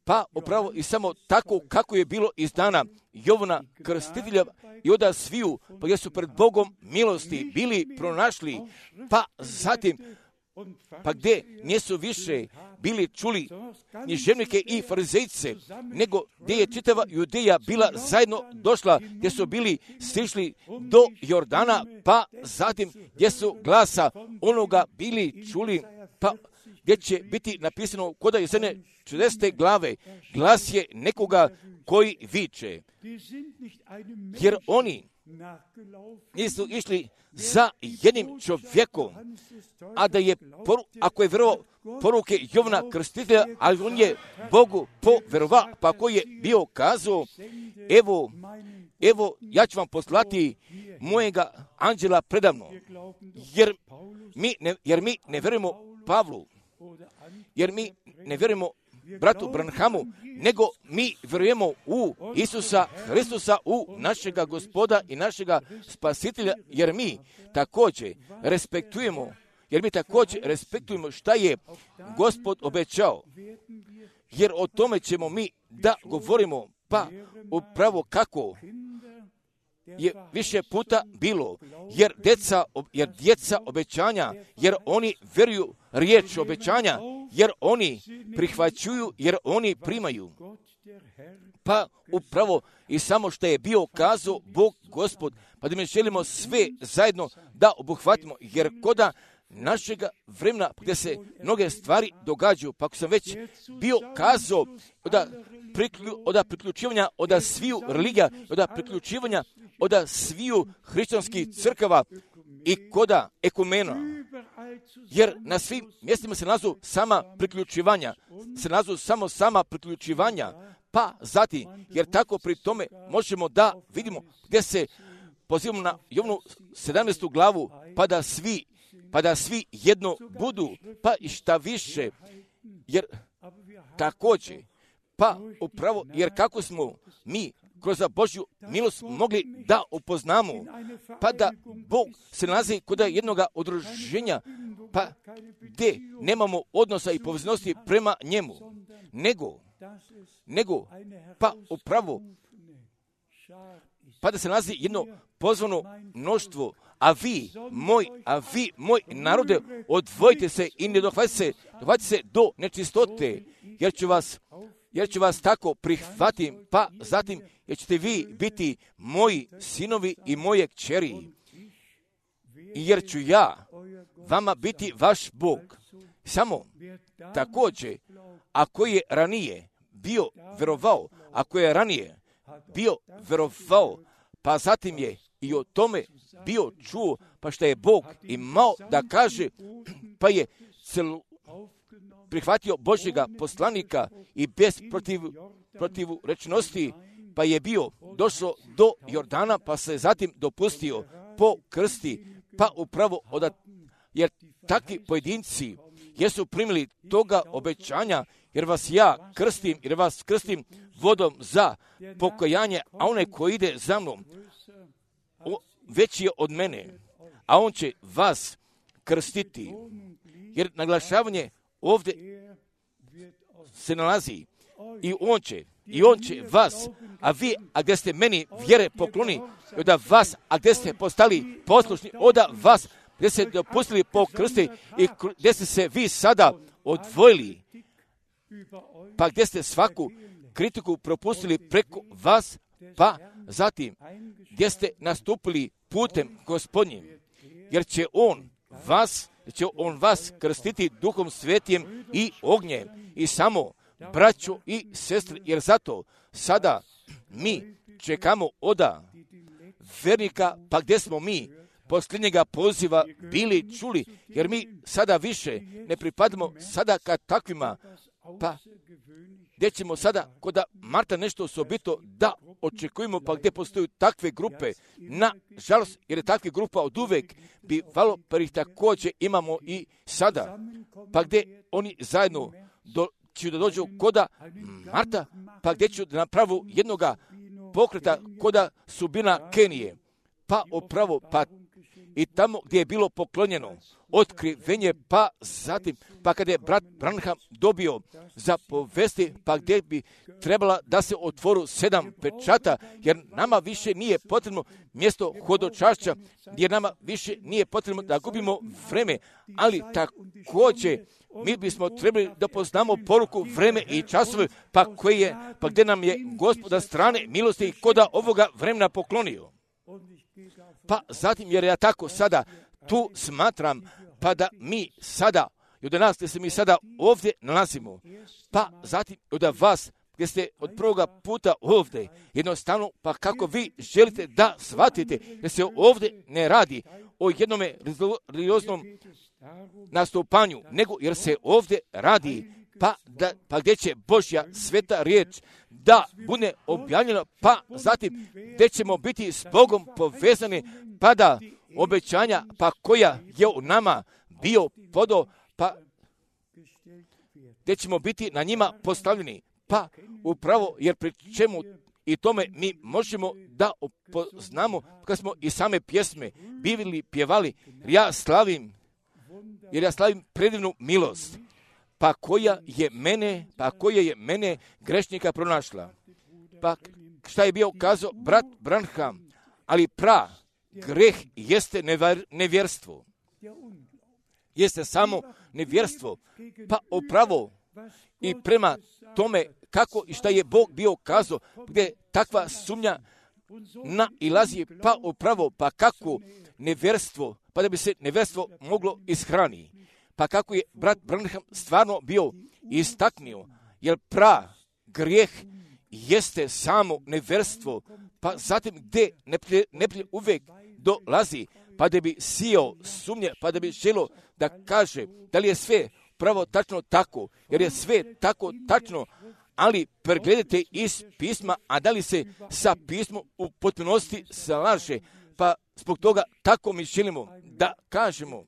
pa upravo i samo tako kako je bilo iz dana Jovana Krstitelja i oda sviju, pa gdje su pred Bogom milosti bili pronašli, pa zatim pa gdje nisu više bili čuli književnike i farizejce, nego gdje je čitava Judeja bila zajedno došla, gdje su bili stišli do Jordana, pa zatim gdje su glasa onoga bili čuli, pa gdje će biti napisano kod Jesene čudesne glave, glas je nekoga koji viče, jer oni nisu išli za jednim čovjekom, a da je, poru, ako je vjerovao poruke Jovana Krstitelja, ali on je Bogu povjerovao, pa koji je bio kazao, evo, evo, ja ću vam poslati mojega anđela predavno, jer mi ne, jer mi ne vjerujemo Pavlu, jer mi ne vjerujemo bratu Branhamu, nego mi vjerujemo u Isusa Hristusa, u našega Gospoda i našega Spasitelja, jer mi također respektujemo, jer mi također respektujemo šta je Gospod obećao, jer o tome ćemo mi da govorimo, pa upravo kako je više puta bilo, jer djeca, jer djeca obećanja, jer oni vjeruju riječ obećanja, jer oni prihvaćuju, jer oni primaju. Pa upravo i samo što je bio kazao Bog Gospod, pa da mi želimo sve zajedno da obuhvatimo, jer koda našega vremena gdje se mnoge stvari događaju, pa ako sam već bio kazao od priklju, priključivanja od sviju religija, od priključivanja od sviju hrišćanskih crkava i koda ekumena, jer na svim mjestima se nalazu sama priključivanja, se nalazu samo sama priključivanja, pa zatim, jer tako pri tome možemo da vidimo gdje se pozivamo na Jovanu sedamnaestu glavu, pa da svi pa da svi jedno budu, pa i šta više, jer također, pa upravo, jer kako smo mi kroz Božju milost mogli da upoznamo, pa da Bog se nalazi kod jednog udruženja, pa gdje nemamo odnosa i poveznosti prema njemu, nego, nego, pa upravo, pa da se nalazi jedno pozvano mnoštvo, a vi, moj, a vi, moj narode, odvojite se i ne dohvatite se, dohvatite se do nečistote, jer ću vas, jer ću vas tako prihvatiti, pa zatim, jer ćete vi biti moji sinovi i moje kćeri, jer ću ja vama biti vaš Bog. Samo također, ako je ranije bio verovao, ako je ranije bio verovao, pa zatim je i o tome bio čuo, pa što je Bog imao da kaže, pa je celu prihvatio Božjega poslanika i bez protiv, protivu rečnosti, pa je bio došao do Jordana, pa se zatim dopustio po krsti, pa upravo od, jer takvi pojedinci jesu primili toga obećanja, jer vas ja krstim, jer vas krstim vodom za pokajanje, a onaj koji ide za mnom, o, veći je od mene, a on će vas krstiti, jer naglašavanje ovdje se nalazi i on će, i on će vas, a vi, a gdje ste meni vjere pokloni, da vas, a gdje ste postali poslušni, oda vas, gdje ste dopustili po krsti i gdje ste se vi sada odvojili, pa gdje ste svaku kritiku propustili preko vas, pa zatim gdje ste nastupili putem Gospodnjim, jer će on vas, će on vas krstiti Duhom Svetijem i ognjem i samo braćo i sestre, jer zato sada mi čekamo oda vernika, pa gdje smo mi posljednjega poziva bili čuli, jer mi sada više ne pripadamo sada ka takvima, pa gdje ćemo sada kod Marta nešto osobito da očekujemo, pa gdje postoju takve grupe, na žalost, jer je takve grupa od uvek bivalo, pa ih također imamo i sada, pa gdje oni zajedno do, će da dođu koda Marta, pa gdje ću da napravu jednoga pokreta koda Subina Kenije, pa upravo, pa i tamo gdje je bilo poklonjeno otkrivenje, pa zatim, pa kada je brat Branham dobio za povesti, pa gdje bi trebala da se otvoru sedam pečata, jer nama više nije potrebno mjesto hodočašća, jer nama više nije potrebno da gubimo vreme, ali također mi bismo trebali da poznamo poruku, vreme i časove, pa koje je, pa gdje nam je Gospoda strane milosti i koda ovoga vremena poklonio. Pa zatim, jer ja tako sada tu smatram, pa da mi sada, i od nas gdje se mi sada ovdje nalazimo, pa zatim od vas gdje ste od prvoga puta ovdje, jednostavno, pa kako vi želite da shvatite, jer se ovdje ne radi o jednome religioznom nastupanju, nego jer se ovdje radi, pa, da, pa gdje će Božja sveta riječ da bude objavljena, pa zatim gdje ćemo biti s Bogom povezani, pa da obećanja, pa koja je u nama bio podo, pa gdje ćemo biti na njima postavljeni. Pa upravo, jer pri čemu i tome mi možemo da opoznamo, kad smo i same pjesme bivili, pjevali, ja slavim, jer ja slavim predivnu milost, pa koja je mene, pa koja je mene grešnika pronašla. Pa šta je bio kazao brat Branham, ali pra, greh jeste nevjerstvo. Jeste samo nevjerstvo. Pa upravo i prema tome kako i šta je Bog bio kazao, gdje takva sumnja nailazi, pa upravo, pa kako nevjerstvo, pa da bi se nevjerstvo moglo ishrani. Pa kako je brat Branham stvarno bio istaknio, jer pra, grijeh jeste samo nevjerstvo, pa zatim gdje neprijatelj neprijatelj uvijek dolazi, pa da bi sijao sumnje, pa da bi želio da kaže da li je sve pravo tačno tako, jer je sve tako tačno, ali pregledajte iz pisma, a da li se sa pismom u potpunosti slaže, pa zbog toga tako mi želimo da kažemo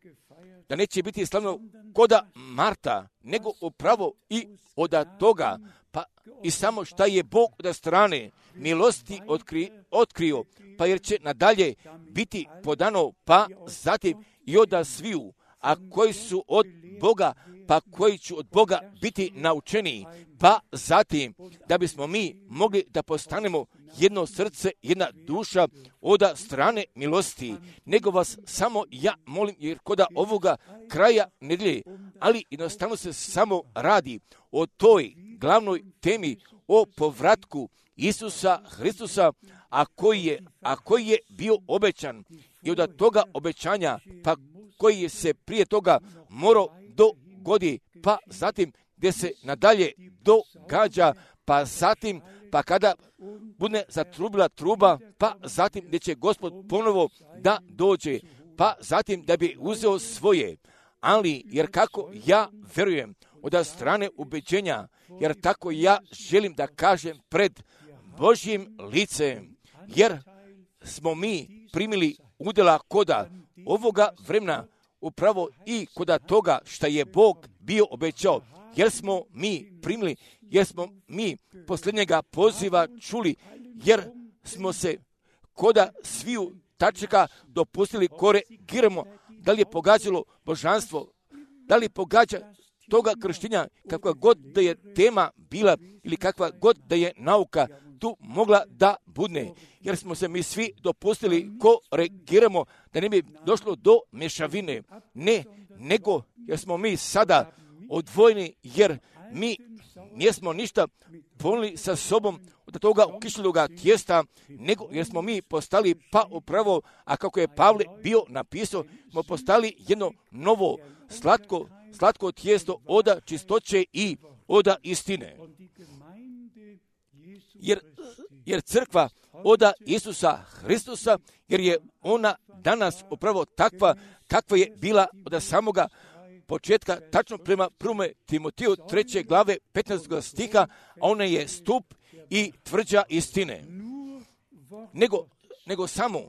da neće biti slavno koda Marta, nego upravo i od toga, pa i samo šta je Bog od strane milosti otkri, otkrio, pa jer će nadalje biti podano, pa zatim i od sviju, a koji su od Boga, pa koji će od Boga biti naučeni, pa zatim da bismo mi mogli da postanemo jedno srce, jedna duša od strane milosti, nego vas samo ja molim, jer koda ovoga kraja nedjelje, ali jednostavno se samo radi o toj glavnoj temi, o povratku Isusa Hristusa, a koji je, a koji je bio obećan i od toga obećanja, pa koji je se prije toga morao dogodi, pa zatim gdje se nadalje događa, pa zatim, pa kada bude zatrubila truba, pa zatim gdje će Gospod ponovo da dođe, pa zatim da bi uzeo svoje. Ali, jer kako ja verujem od strane ubeđenja, jer tako ja želim da kažem pred Božjim licem, jer smo mi primili udjela koda ovoga vremena, upravo i koda toga što je Bog bio obećao, jer smo mi primili, jer smo mi posljednjega poziva čuli, jer smo se koda sviju tačaka dopustili kore giramo, da li je pogađalo božanstvo, da li pogađa toga krštenja, kakva god da je tema bila ili kakva god da je nauka tu mogla da budne, jer smo se mi svi dopustili korigiramo da ne bi došlo do mješavine. Ne, nego jer smo mi sada odvojeni, jer mi nismo ništa ponili sa sobom od toga ukišljivoga tijesta, nego jer smo mi postali pa upravo, a kako je Pavle bio napisao, smo postali jedno novo slatko, slatko tijesto oda čistoće i oda istine. Jer, jer crkva oda Isusa Hristusa, jer je ona danas upravo takva kakva je bila od samoga početka, tačno prema prvome Timotiju treće glave petnaestog stiha, a ona je stup i tvrđa istine. Nego, nego samo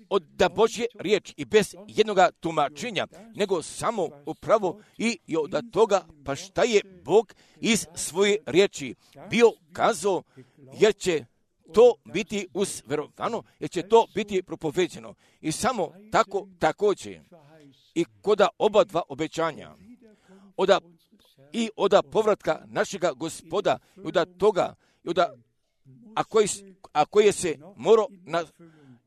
od da Božje riječ i bez jednoga tumačenja, nego samo upravo i, i od toga, pa šta je Bog iz svoje riječi bio kazao, jer će to biti usverovano, jer će to biti propoveđeno. I samo tako također i koda oba dva obećanja, oda, i oda povratka našega Gospoda, i oda toga, i oda, a koji, a koje se mora na,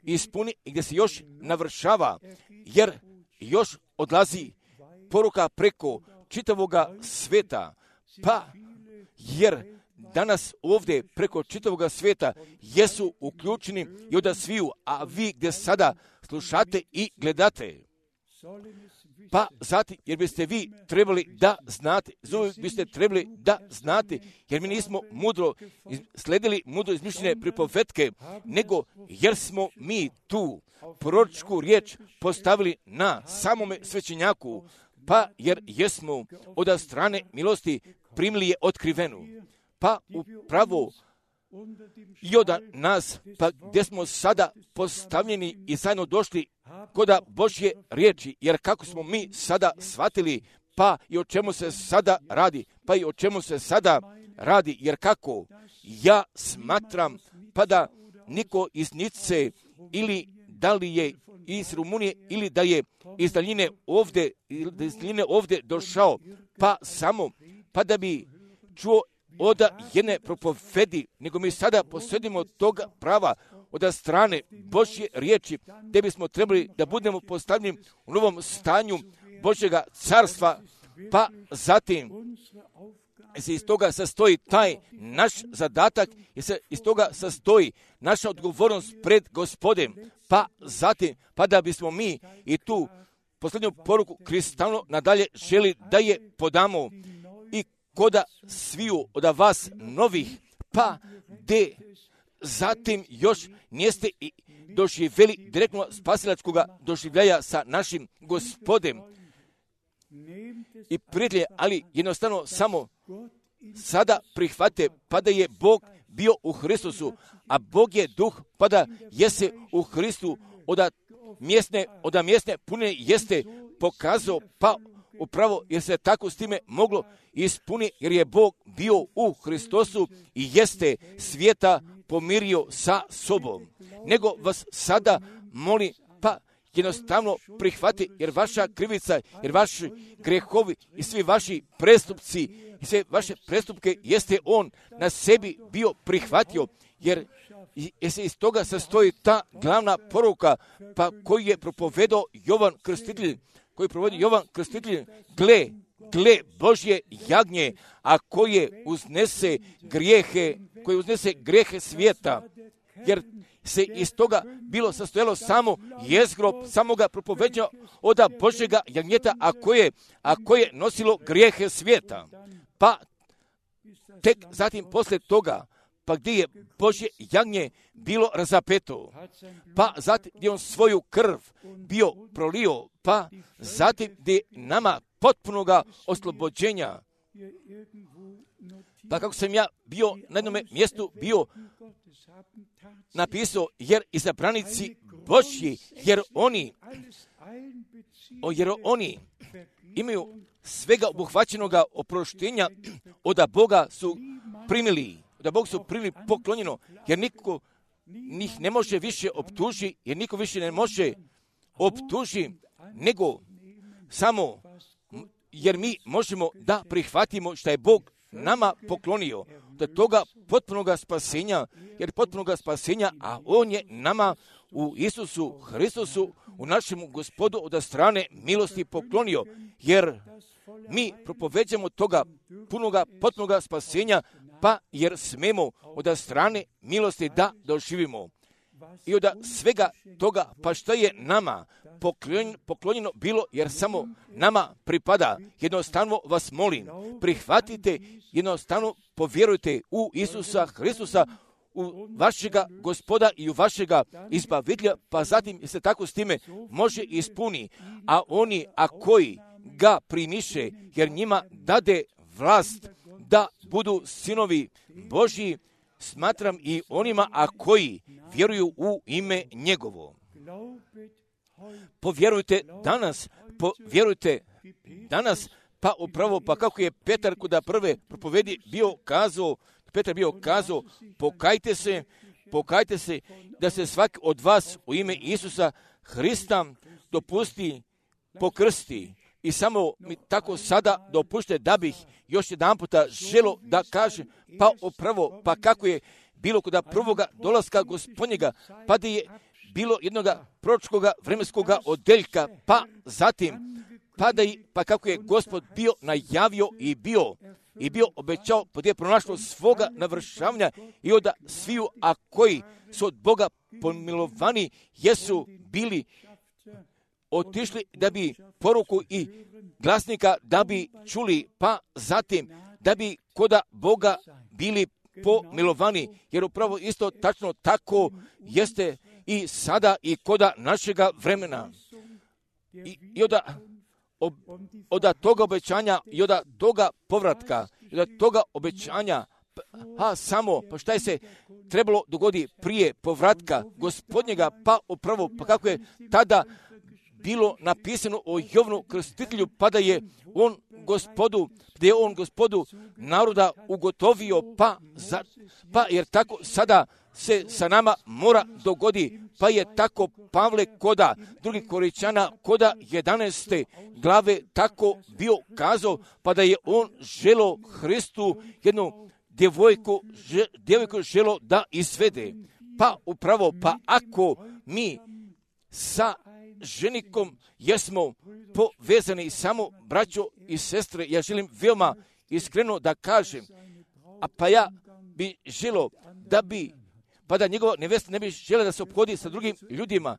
ispuni i gdje se još navršava, jer još odlazi poruka preko čitavoga sveta, pa jer danas ovdje preko čitavoga sveta jesu uključeni i oda sviju, a vi gdje sada slušate i gledate, pa zatim, jer biste vi trebali da znate, zove biste trebali da znate, jer mi nismo mudro sledili mudro izmišljene pripovetke, nego jer smo mi tu proročku riječ postavili na samome svećenjaku, pa jer jesmo od strane milosti primili je otkrivenu. Pa upravo i od nas, pa gdje smo sada postavljeni i zajedno došli koda Božje riječi, jer kako smo mi sada shvatili, pa i o čemu se sada radi, pa i o čemu se sada radi, jer kako ja smatram, pa da niko iz Nice ili da li je iz Rumunije ili da je iz daljine ovdje, iz daljine ovdje došao, pa samo, pa da bi čuo od jedne propovedi, nego mi sada posjedimo toga prava od strane Božje riječi, gdje bismo trebali da budemo postavljeni u novom stanju Božjega carstva, pa zatim se iz toga sastoji taj naš zadatak i se iz toga sastoji naša odgovornost pred Gospodem, pa zatim, pa da bismo mi i tu posljednju poruku kristalno nadalje želi da je podamo i koda sviju od vas novih, pa de zatim još niste i doživjeli direktno spasilačkog doživljaja sa našim Gospodem i prijatelje, ali jednostavno samo sada prihvate, pa da je Bog bio u Hristusu, a Bog je duh, pa da jese u Hristu, od mjesne, od mjesne pune jeste pokazao, pa upravo jer se tako s time moglo ispuniti, jer je Bog bio u Hristosu i jeste svijeta pomirio sa sobom. Nego vas sada moli, pa jednostavno prihvati, jer vaša krivica, jer vaši grehovi i svi vaši prestupci i sve vaše prestupke jeste on na sebi bio prihvatio, jer se iz toga sastoji ta glavna poruka, pa koju je propovedao Jovan Krstitelj, koji provodi Jovan Krstitelj, gle, gle Božje jagnje, a koje uznese grijehe, koje uznese grijehe svijeta, jer se iz toga bilo sastojalo samo jezgro samoga propoveđa od Božjega jagnjeta, a koje, a koje nosilo grijehe svijeta. Pa tek zatim poslije toga, pa gdje je Božje jagnje bilo razapeto, pa zatim gdje on svoju krv bio prolio, pa zatim gdje nama potpunoga oslobođenja. Pa kako sam ja bio na jednom mjestu bio napisao, jer izabranici Božji, jer oni, o, jer oni imaju svega obuhvaćenoga oproštenja od Boga su primili, da Bog su primili poklonjeno, jer niko njih ne može više optuži, jer niko više ne može optuži, nego samo jer mi možemo da prihvatimo što je Bog nama poklonio, do toga potpunoga spasenja, jer potpunoga spasenja, a On je nama u Isusu Hristusu, u našemu Gospodu od strane milosti poklonio, jer mi propoveđamo toga punoga, potpunoga spasenja, pa jer smemo od strane milosti da doživimo. I od svega toga, pa što je nama poklonjeno bilo, jer samo nama pripada, jednostavno vas molim, prihvatite, jednostavno povjerujte u Isusa Hristusa, u vašega Gospoda i u vašega izbavitelja, pa zatim se tako s time može ispuni. A oni, a koji ga primiše, jer njima dade vlast da budu sinovi Božji, smatram i onima, a koji vjeruju u ime njegovo. Povjerujte danas, povjerujte danas, pa upravo, pa kako je Petar kuda prve propovedi bio kazao, Petar bio kazao, pokajte se, pokajte se, da se svaki od vas u ime Isusa Hrista dopusti pokrsti. I samo mi tako sada dopušte da bih još jedan puta želo da kažem, pa upravo, pa kako je bilo kod prvoga dolaska Gospodnjega, pa da je bilo jednoga proročkoga vremenskoga odeljka, pa zatim, pa da je, pa kako je Gospod bio najavio i bio, i bio obećao, pa da je pronašlo svoga navršavanja i od sviju, a koji su od Boga pomilovani, jesu bili otišli da bi poruku i glasnika da bi čuli, pa zatim da bi koda Boga bili pomilovani, jer upravo isto tačno tako jeste i sada i koda našega vremena. I, i od, ob, od toga obećanja i od toga povratka, i od toga obećanja, a samo, pa šta je se trebalo dogodi prije povratka Gospodnjega, pa upravo, pa kako je tada bilo napisano o Jovanu Krstitelju, pa da je on gospodu, da je on gospodu naroda ugotovio, pa, za, pa jer tako sada se sa nama mora dogodi, pa je tako Pavle koda drugih Korinćana koda jedanaeste glave tako bio kazao, pa da je on želo Hristu jednu djevojku, že, djevojku želo da izvede. Pa upravo, pa ako mi sa ženikom jesmo povezani samo braćo i sestre, ja želim veoma iskreno da kažem, a pa ja bi želo da bi, pa da njegova nevesta ne bi žela da se obhodi sa drugim ljudima,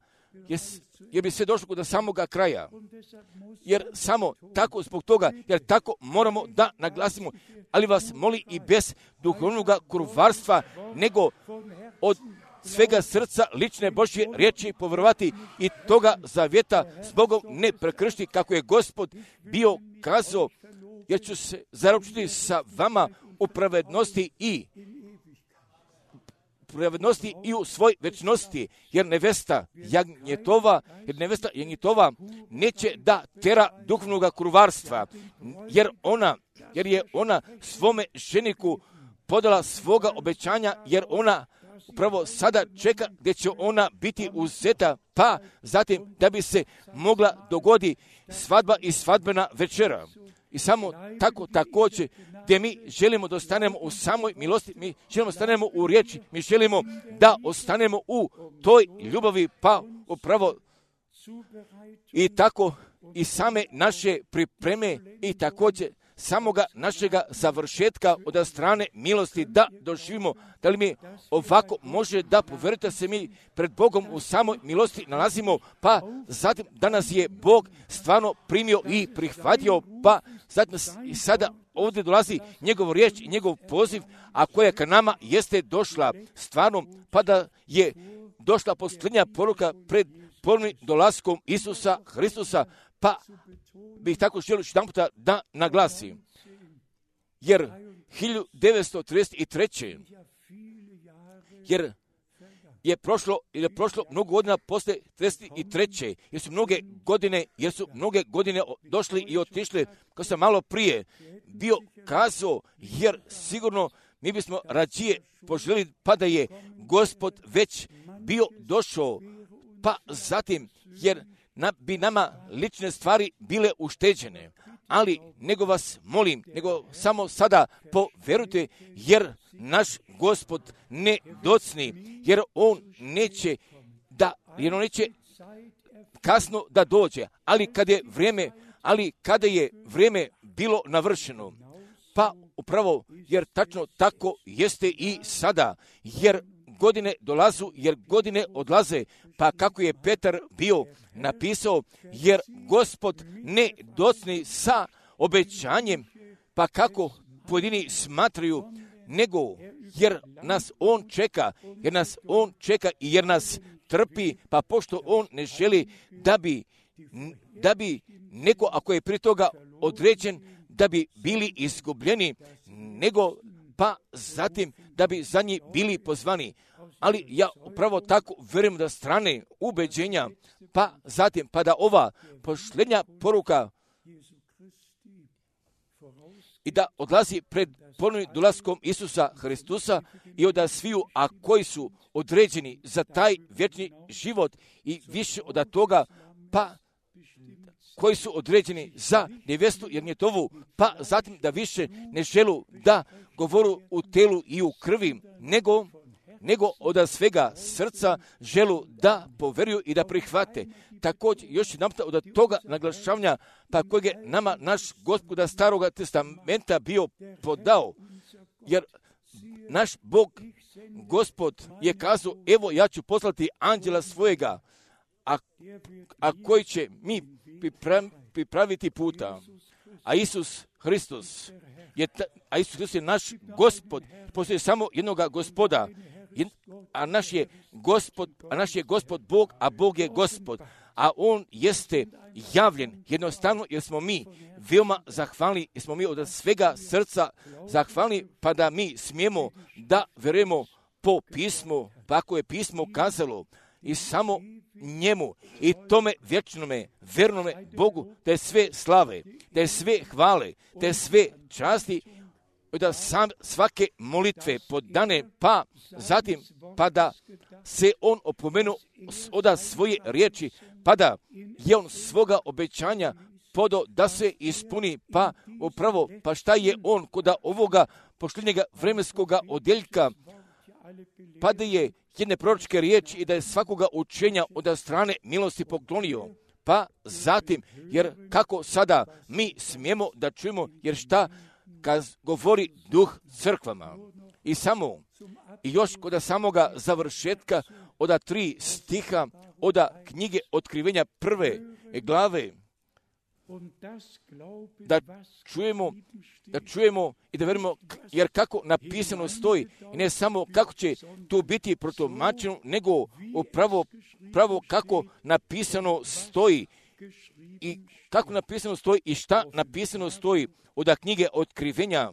jer, jer bi sve došlo do samoga kraja. Jer samo tako zbog toga, jer tako moramo da naglasimo, ali vas moli i bez duhovnog kurvarstva, nego od svega srca lične Božje riječi povjerovati i toga zavjeta s Bogom ne prekršiti, kako je Gospod bio kazao, jer ću se zaručiti sa vama u pravednosti i pravednosti i u svoj večnosti, jer nevesta jagnjetova, jer nevesta jagnjetova neće da tera duhovnoga kurvarstva, jer ona, jer je ona svome ženiku podala svoga obećanja, jer ona upravo sada čeka gdje će ona biti uzeta, pa zatim da bi se mogla dogodi svadba i svadbena večera. I samo tako također gdje mi želimo da ostanemo u samoj milosti, mi želimo da ostanemo u riječi, mi želimo da ostanemo u toj ljubavi, pa upravo i tako i same naše pripreme i također samoga našega završetka od strane milosti da doživimo. Da li mi ovako može da poverite se mi pred Bogom u samoj milosti nalazimo, pa zatim da nas je Bog stvarno primio i prihvatio, pa zatim i sada ovdje dolazi njegov riječ i njegov poziv, a koja ka nama jeste došla stvarno, pa da je došla posljednja poruka pred ponovnim dolaskom Isusa Hristusa, pa bih tako želio još jedan puta da naglasim. Jer hiljadu devetsto trideset treće jer je prošlo, jer je prošlo mnogo godina posle trideset treće jer su mnoge godine, jer su mnoge godine došli i otišli, kao sam malo prije bio kazao, jer sigurno mi bismo rađije poželjeli, pa da je Gospod već bio došao, pa zatim, jer na, bi nama lične stvari bile ušteđene, ali nego vas molim, nego samo sada poverujte, jer naš Gospod ne docni, jer on neće da, jer on neće kasno da dođe, ali kad je vrijeme, ali kada je vrijeme bilo navršeno, pa upravo, jer tačno tako jeste i sada, jer godine dolazu, jer godine odlaze, pa kako je Petar bio napisao, jer Gospod ne docni sa obećanjem, pa kako pojedini smatraju, nego jer nas on čeka, jer nas on čeka i jer nas trpi, pa pošto on ne želi da bi, da bi neko, ako je prije toga određen, da bi bili izgubljeni, nego pa zatim da bi za njih bili pozvani. Ali ja upravo tako vjerujem da strane ubeđenja, pa zatim pa da ova posljednja poruka i da odlazi pred ponovnim dolaskom Isusa Hristusa i od sviju, a koji su određeni za taj vječni život i više od toga, pa koji su određeni za nevjestu Jagnjetovu, pa zatim da više ne želu da govoru u telu i u krvi, nego, nego od svega srca želu da poveruju i da prihvate. Također, još jedan puta od toga naglašavanja, pa kojeg je nama naš Gospoda Staroga testamenta bio podao, jer naš Bog, Gospod je kazao, evo ja ću poslati anđela svojega, a, a koji će mi pripraviti puta. A Isus Hristos je, ta, a Isus Hristos je naš Gospod, postoji samo jednoga Gospoda, a naš je Gospod, a naš je Gospod Bog, a Bog je Gospod. A on jeste javljen jednostavno jer smo mi veoma zahvalni, jer smo mi od svega srca zahvalni, pa da mi smijemo da verujemo po pismu, pa ako je pismo kazalo, i samo njemu i tome vječnome, vernome Bogu, da je sve slave, da je sve hvale, da je sve časti, da sam svake molitve podane, pa zatim pa da se on opomenu oda svoje riječi, pa da je on svoga obećanja podo da se ispuni, pa upravo, pa šta je on koda ovoga pošljenjega vremenskoga odjeljka, pa da je jedne proročke riječi i da je svakoga učenja od strane milosti poklonio, pa zatim, jer kako sada mi smijemo da čujemo, jer šta kad govori duh crkvama. I samo, i još kod samoga završetka oda tri stiha, oda knjige otkrivenja prve glave, da čujemo, da čujemo i da verimo, jer kako napisano stoji, i ne samo kako će tu biti protumačeno, nego upravo pravo kako napisano stoji i kako napisano stoji i šta napisano stoji od knjige otkrivenja,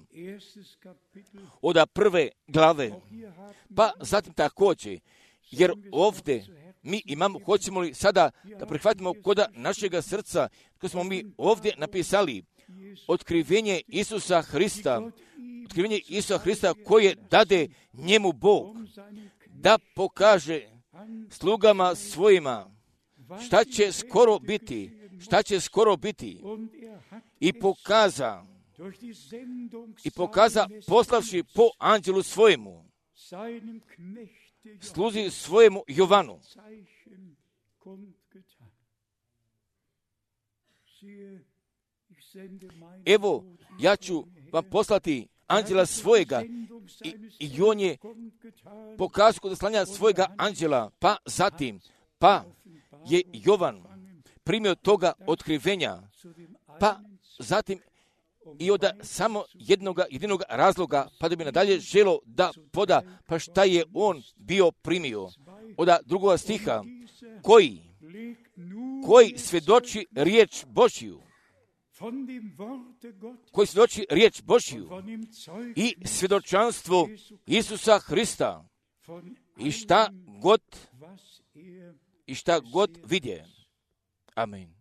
od prve glave. Pa zatim također, jer ovdje mi imamo, hoćemo li sada da prihvatimo koda našega srca, ko smo mi ovdje napisali, otkrivenje Isusa Hrista, otkrivenje Isusa Hrista koje dade njemu Bog, da pokaže slugama svojima šta će skoro biti, šta će skoro biti, i pokaza, i pokaza poslavši po anđelu svojemu, sluzi svojemu Jovanu. Evo, ja ću vam poslati anđela svojega i, i on je pokazao kod slanja svojega anđela, pa zatim, pa je Jovan primio toga otkrivenja, pa zatim i od samo jednog jedinog razloga, pa da bi nadalje želo da poda, pa šta je on bio primio. Od drugog stiha, koji, koji svjedoči riječ Božju, koji svjedoči riječ Božju i svjedočanstvo Isusa Hrista i šta god, i šta god vidje. Amen.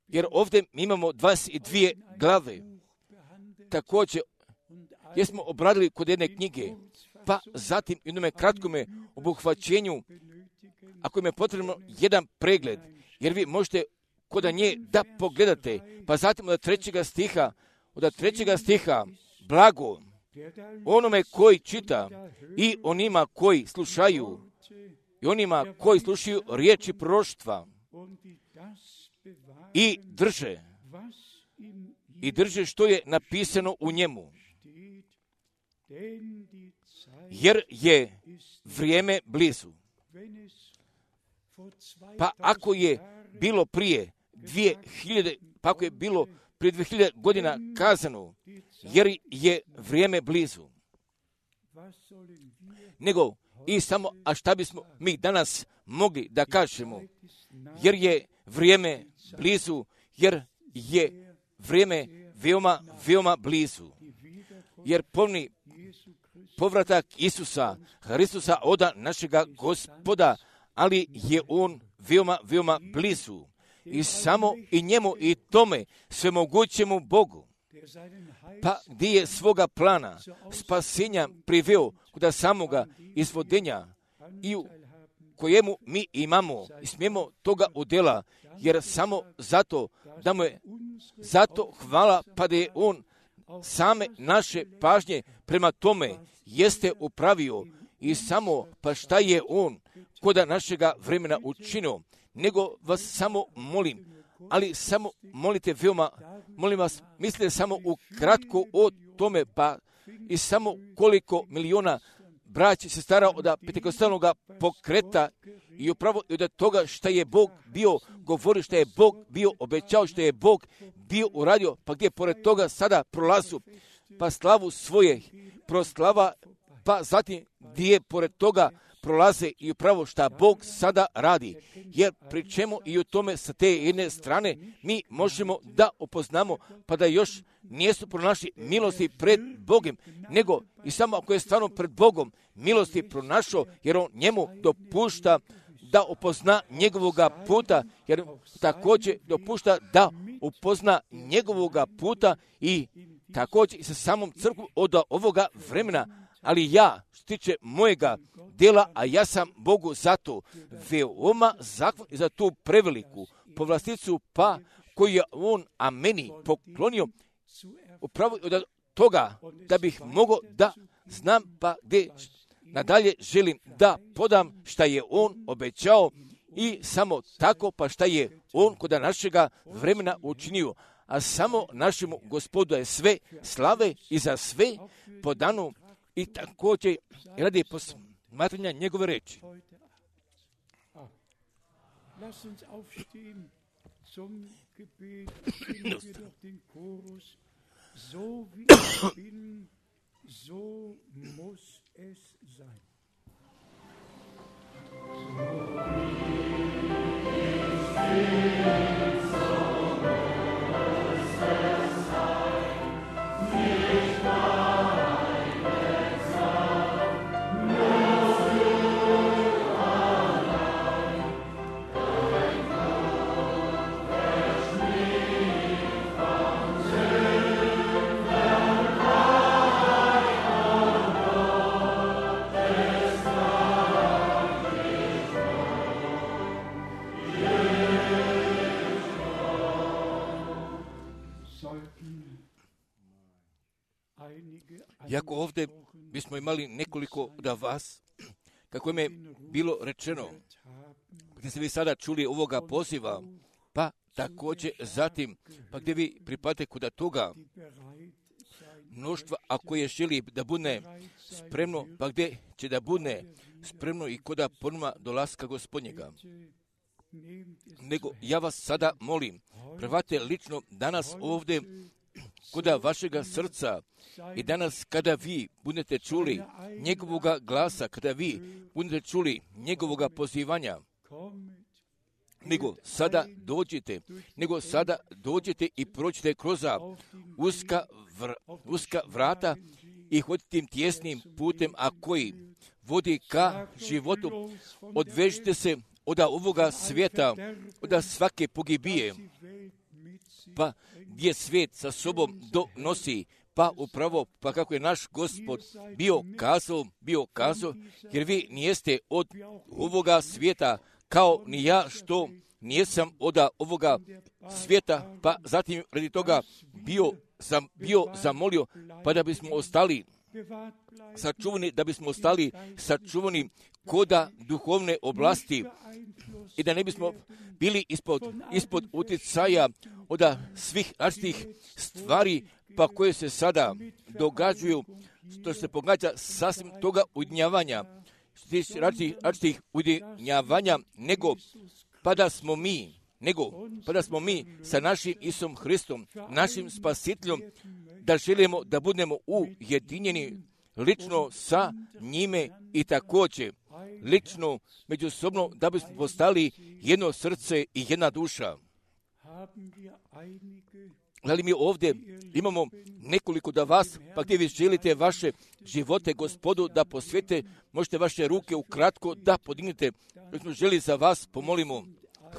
Jer ovdje imamo dvadeset dvije glave. Također, jesmo obradili kod jedne knjige, pa zatim u jednome kratkome obuhvaćenju, ako im je potrebno jedan pregled, jer vi možete kod nje da pogledate, pa zatim od trećega stiha, od trećega stiha, blago onome koji čita i onima koji slušaju, i onima koji slušaju riječi proroštva, i drže, i drže što je napisano u njemu. Jer je vrijeme blizu. Pa ako je bilo prije dvije hiljade, pa ako je bilo prije dvije hiljade godina kazano, jer je vrijeme blizu. Nego, i samo, a šta bismo mi danas mogli da kažemo, jer je vrijeme blizu, jer je vrijeme veoma, veoma blizu. Jer ponovni povratak Isusa Hristusa oda našega Gospoda, ali je on veoma, veoma blizu. I samo i njemu i tome svemogućemu Bogu, pa gdje je svoga plana spasenja priveo kod samoga izvodenja i u kojemu mi imamo i smijemo toga udjela, jer samo zato da mu je zato hvala, pa da je on same naše pažnje prema tome jeste upravio i samo pa šta je on koda našega vremena učinio, nego vas samo molim, ali samo molite veoma, molim vas, mislite samo ukratko o tome, pa i samo koliko miliona braći se stara od pentekostalnog pokreta i upravo od toga što je Bog bio govorio, što je Bog bio obećao, što je Bog bio uradio, pa gdje pored toga sada prolazu, pa slavu svoje proslava, pa zatim gdje je pored toga prolaze i upravo šta Bog sada radi. Jer pričemo i u tome sa te jedne strane mi možemo da upoznamo pa da još nijesu pronašli milosti pred Bogom, nego i samo ako je stvarno pred Bogom milosti pronašao, jer on njemu dopušta da upozna njegovoga puta, jer također dopušta da upozna njegovoga puta i također i sa samom crkvom od ovoga vremena. Ali ja, što tiče mojega dela, a ja sam Bogu zato veoma zahvalan za tu preveliku povlasticu, pa koju je on a meni poklonio, upravo od toga da bih mogao da znam pa gdje nadalje želim da podam šta je on obećao i samo tako pa šta je on kod našega vremena učinio. A samo našemu Gospodu je sve slave i za sve podano i također radi posmatranja njegove reči. So wie ich bin, so muss es sein. Jako ovdje bismo imali nekoliko da vas, kako im je bilo rečeno, gdje ste vi sada čuli ovoga poziva, pa također zatim, pa gdje vi pripadate kuda toga mnoštva, ako je želi da bude spremno, pa gdje će da bude spremno i koda ponuma dolaska Gospodnjega. Nego ja vas sada molim, prevate lično danas ovdje koda vašega srca i danas kada vi budete čuli njegovoga glasa, kada vi budete čuli njegovoga pozivanja, nego sada dođite, nego sada dođite i prođite kroz uska, vr, uska vrata i hodite tim tjesnim putem, a koji vodi ka životu. Odvežite se od ovoga svijeta, od svake pogibije, pa gdje svijet sa sobom donosi, pa upravo, pa kako je naš Gospod bio kazao, bio kazao, jer vi nijeste od ovoga svijeta, kao ni ja što nijesam od ovoga svijeta, pa zatim radi toga bio, sam bio zamolio, pa da bismo ostali sačuvani, da bismo ostali sačuvani koda duhovne oblasti i da ne bismo bili ispod, ispod utjecaja od svih različitih stvari pa koje se sada događaju, što se pogađa sasvim toga ujedinjavanja, različitih ujedinjavanja, nego pa da smo mi, nego pa da smo mi sa našim Isusom Hristom, našim Spasiteljom, da želimo da budemo ujedinjeni lično sa njime i također lično međusobno da bismo postali jedno srce i jedna duša. Ali mi ovdje imamo nekoliko da vas, pa gdje vi želite vaše živote Gospodu da posvete, možete vaše ruke ukratko da podignete, jer smo želi za vas pomolimo.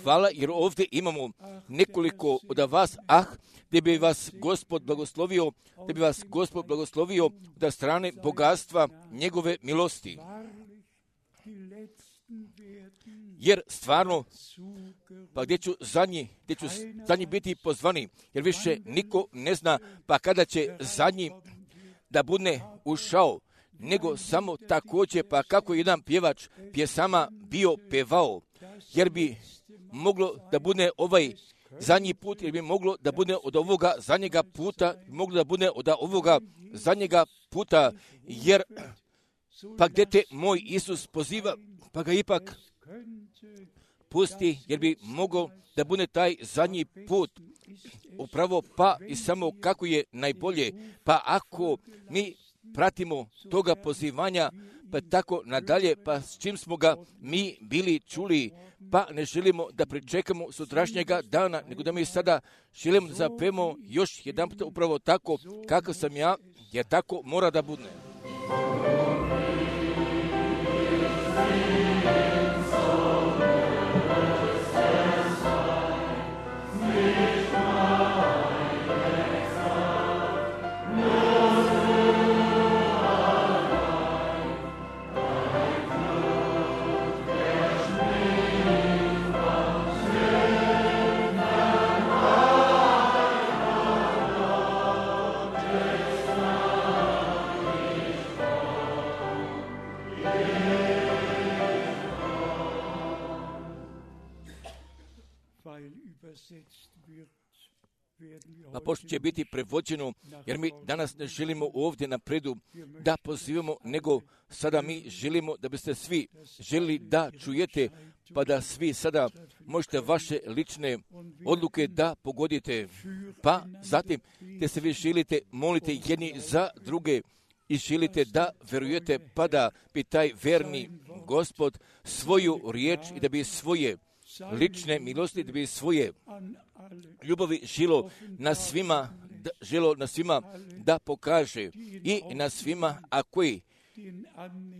Hvala, jer ovdje imamo nekoliko od vas, ah, gdje bi vas Gospod blagoslovio, gdje bi vas Gospod blagoslovio da strane bogatstva njegove milosti. Jer stvarno, pa gdje ću zadnji, gdje ću zadnji biti pozvani, jer više niko ne zna, pa kada će zadnji da bude ušao, nego samo također, pa kako jedan pjevač pjesama bio pevao, jer bi moglo da bude ovaj zadnji put, jer bi moglo da bude od ovoga zadnjega puta, moglo da bude od ovoga zadnjega puta, jer pa gdje te moj Isus poziva, pa ga ipak pusti, jer bi mogao da bude taj zadnji put, upravo pa i samo kako je najbolje, pa ako mi pratimo toga pozivanja, pa tako nadalje, pa s čim smo ga mi bili čuli, pa ne želimo da pričekamo sutrašnjega dana, nego da mi sada želimo da zapemo još jedan put upravo tako kakav sam ja, jer tako mora da bude. A pošto će biti prevođeno, jer mi danas ne želimo ovdje napredu da pozivamo, nego sada mi želimo da biste svi želili da čujete, pa da svi sada možete vaše lične odluke da pogodite. Pa zatim, te se vi želite molite jedni za druge i želite da verujete, pa da bi taj verni Gospod svoju riječ i da bi svoje lične milosti, da bi svoje ljubavi želo na svima, da, želo na svima da pokaže i na svima, a koji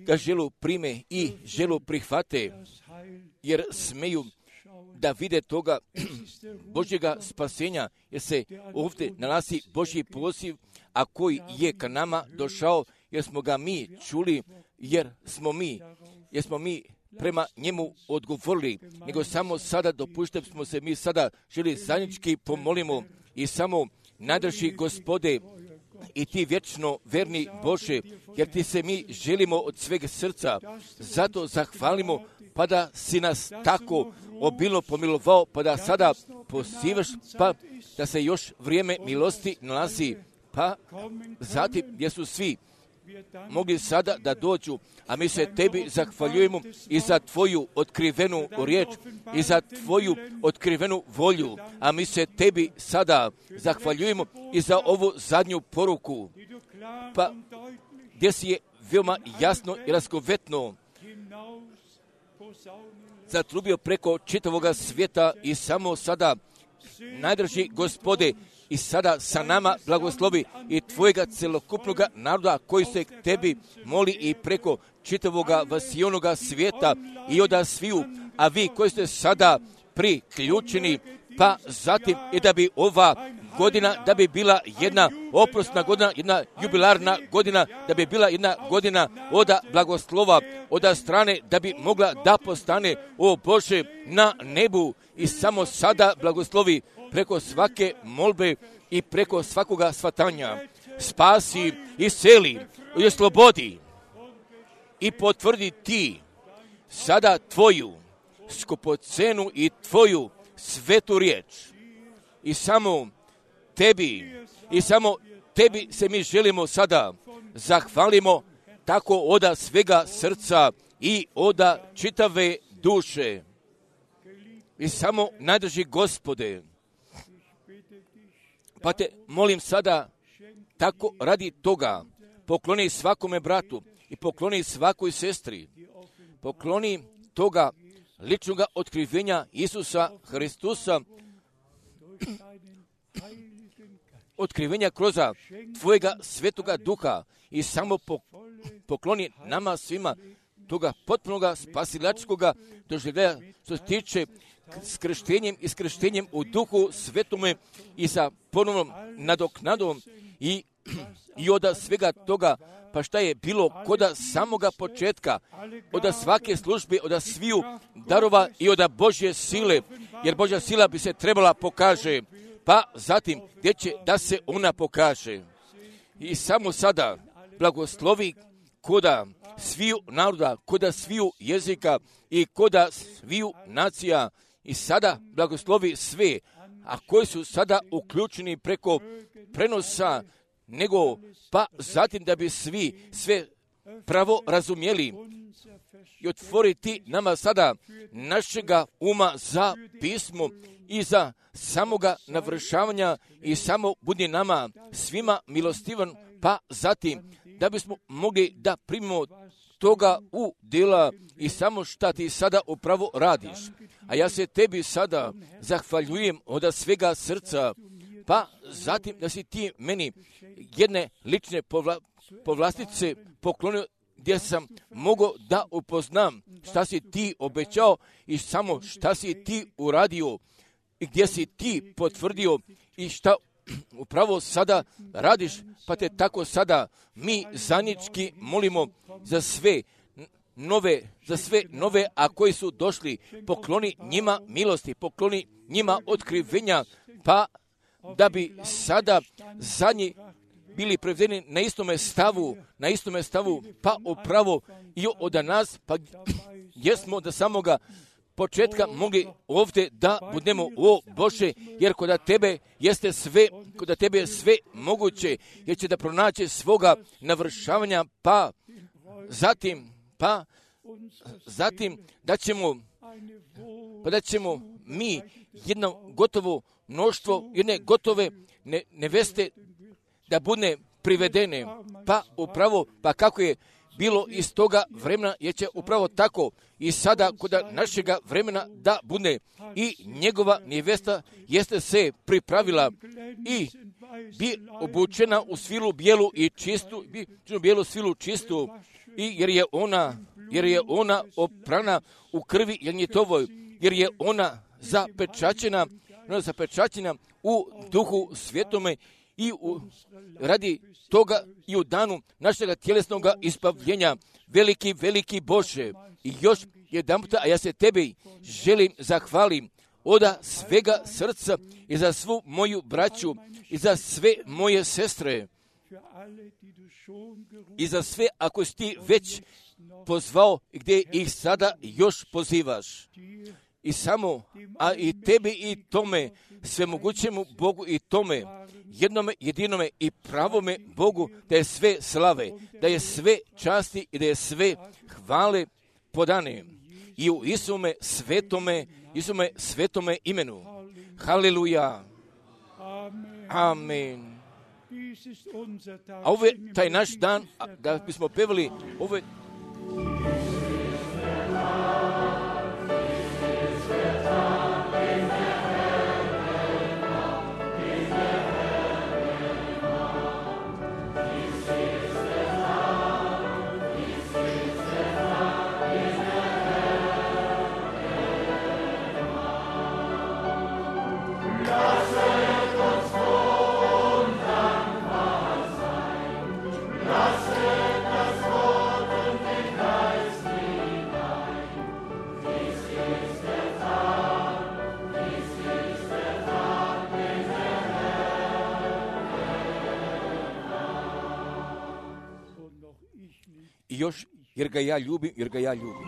ga želu prime i želu prihvate, jer smeju da vide toga Božjega spasenja, jer se ovdje nalazi Božji poziv, a koji je ka nama došao, jer smo ga mi čuli, jer smo mi, jer smo mi prema njemu odgovorili, nego samo sada dopuštam smo se mi sada želi zajednički pomolimo i samo najdrži Gospode i ti vječno verni Bože, jer ti se mi želimo od svega srca, zato zahvalimo, pa da si nas tako obilno pomilovao, pa da sada pozivaš, pa da se još vrijeme milosti nalazi, pa zatim gdje su svi mogli sada da dođu, a mi se tebi zahvaljujemo i za tvoju otkrivenu riječ i za tvoju otkrivenu volju, a mi se tebi sada zahvaljujemo i za ovu zadnju poruku, pa gdje si je veoma jasno i razgovetno zatrubio preko čitavoga svijeta i samo sada najdrži Gospode i sada sa nama blagoslovi i tvojega celokupnoga naroda koji se k tebi moli i preko čitavoga vasijonoga svijeta i oda sviju, a vi koji ste sada priključeni, pa zatim i da bi ova godina, da bi bila jedna oprosna godina, jedna jubilarna godina, da bi bila jedna godina oda blagoslova, oda strane, da bi mogla da postane, o Bože, na nebu i samo sada blagoslovi preko svake molbe i preko svakoga svatanja. Spasi i seli i slobodi i potvrdi ti sada tvoju skupocenu i tvoju svetu riječ. I samo tebi, i samo tebi se mi želimo sada zahvalimo tako oda svega srca i oda čitave duše. I samo najdrži Gospode, pa te molim sada tako radi toga, pokloni svakome bratu i pokloni svakoj sestri, pokloni toga ličnog otkrivenja Isusa Hristusa, otkrivenja kroz tvojega svetoga duha i samo pokloni nama svima toga potpunoga spasilačkoga doživljaja što se tiče s krštenjem i s krštenjem u duhu svetome i sa ponovnom nadoknadom i, i od svega toga, pa šta je bilo koda samoga početka, od svake službe, od sviju darova i od Božje sile, jer Božja sila bi se trebala pokaže, pa zatim gdje će da se ona pokaže. I samo sada blagoslovi koda sviju naroda, koda sviju jezika i koda sviju nacija, i sada blagoslovi sve, a koji su sada uključeni preko prenosa, nego pa zatim da bi svi sve pravo razumjeli i otvoriti nama sada našega uma za pismo i za samoga navršavanja i samo budi nama svima milostivan, pa zatim da bismo mogli da primimo toga u djela i samo šta ti sada upravo radiš. A ja se tebi sada zahvaljujem od svega srca, pa zatim da si ti meni jedne lične povla, povlastice poklonio gdje sam mogao da upoznam šta si ti obećao i samo šta si ti uradio i gdje si ti potvrdio i šta upravo sada radiš, pa te tako sada mi zajednički molimo za sve nove, za sve nove, a koji su došli, pokloni njima milosti, pokloni njima otkrivenja, pa da bi sada zadnji bili prevedeni na istome stavu, na istome stavu, pa upravo i od nas, pa gdje smo do samoga početka mogli ovdje da budemo, o Bože, jer kod tebe jeste sve, kod tebe je sve moguće, jer će da pronaći svoga navršavanja, pa zatim, pa zatim da ćemo, pa da ćemo mi jedno gotovo mnoštvo, jedne gotove ne, neveste da bude privedene, pa upravo, pa kako je bilo iz toga vremena, jer će upravo tako i sada kod našega vremena da bude i njegova nevesta jeste se pripravila i bi obučena u svilu bijelu i čistu, bi bijelu svilu čistu, i jer je ona, jer je ona oprana u krvi Janjetovoj, jer je ona zapečaćena, ona zapečaćena u duhu svjetome i u, radi toga i u danu našega tjelesnog ispavljenja. Veliki, veliki Bože, i još jedan puta, a ja se tebi želim zahvalim od svega srca i za svu moju braću i za sve moje sestre i za sve ako si ti već pozvao gdje ih sada još pozivaš. I samo, a i tebi i tome, svemogućemu Bogu i tome, jednome, jedinome i pravome Bogu, da je sve slave, da je sve časti i da je sve hvale podane. I u Isume svetome, Isume svetome imenu. Haleluja. Amen. A ovo je taj naš dan, da bismo pevali, ovo je... I još, jer ga ja ljubim, jer ga ja ljubim.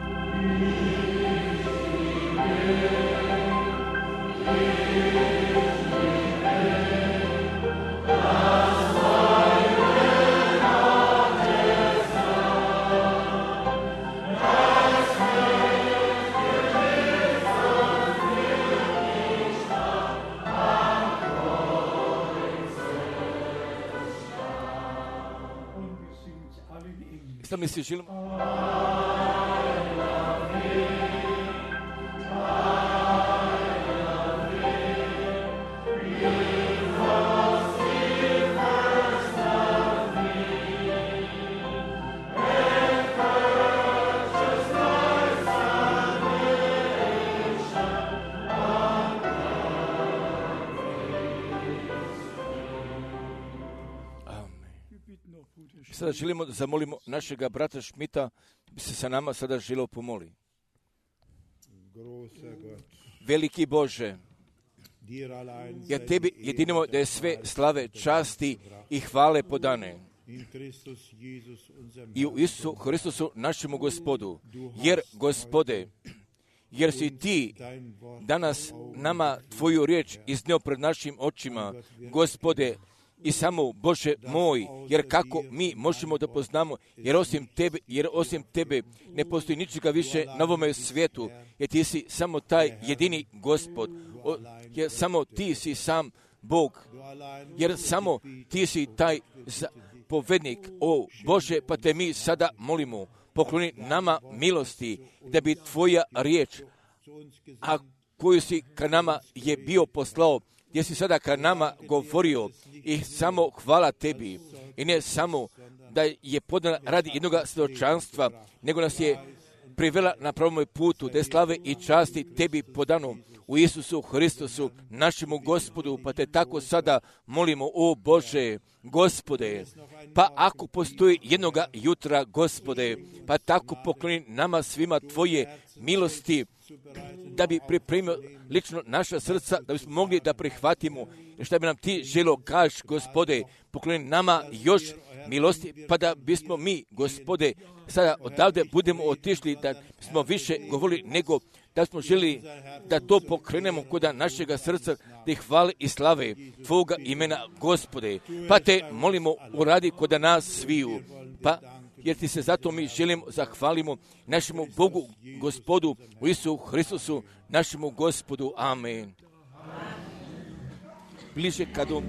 Sad mi se želim... Sada želimo da zamolimo našega brata Šmita, da bi se sa nama sada želeo pomoli. Veliki Bože, ja tebi jedinimo da je sve slave, časti i hvale podane. I u Isusu Hristusu našemu Gospodu, jer Gospode, jer si ti danas nama tvoju riječ iznio pred našim očima, Gospode, i samo, Bože moj, jer kako mi možemo da poznamo, jer osim tebe, jer osim tebe ne postoji ničega više na ovome svijetu, jer ti si samo taj jedini Gospod, o, jer samo ti si sam Bog, jer samo ti si taj za, propovednik, o Bože, pa te mi sada molimo, pokloni nama milosti, da bi tvoja riječ, a koju si ka nama je bio poslao, gdje si sada ka nama govorio, i samo hvala tebi, i ne samo da je podana radi jednoga svjedočanstva, nego nas je privela na pravom putu, da je slave i časti tebi podano u Isusu Hristusu, našemu Gospodu, pa te tako sada molimo, o Bože, Gospode, pa ako postoji jednoga jutra, Gospode, pa tako pokloni nama svima tvoje milosti, da bi pripremio lično naša srca, da bismo mogli da prihvatimo što bi nam ti želo kaž, Gospode, pokloni nama još milosti, pa da bismo mi, Gospode, sada odavde budemo otišli, da smo više govorili nego da smo želi da to pokrenemo kod našega srca, da ih hvale i slave Tvoga imena, Gospode. Pa te molimo, uradi kod nas sviju, pa jer ti se zato mi želimo, zahvalimo našemu Bogu, Gospodu, u Isusu Hristusu, našemu Gospodu. Amen. Bliže kado...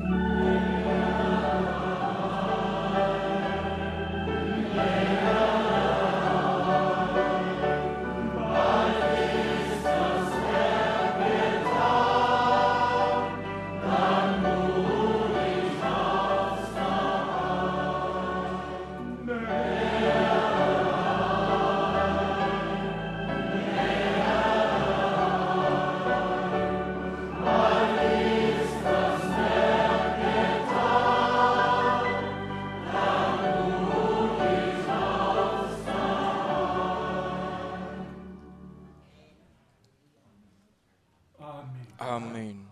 Amen.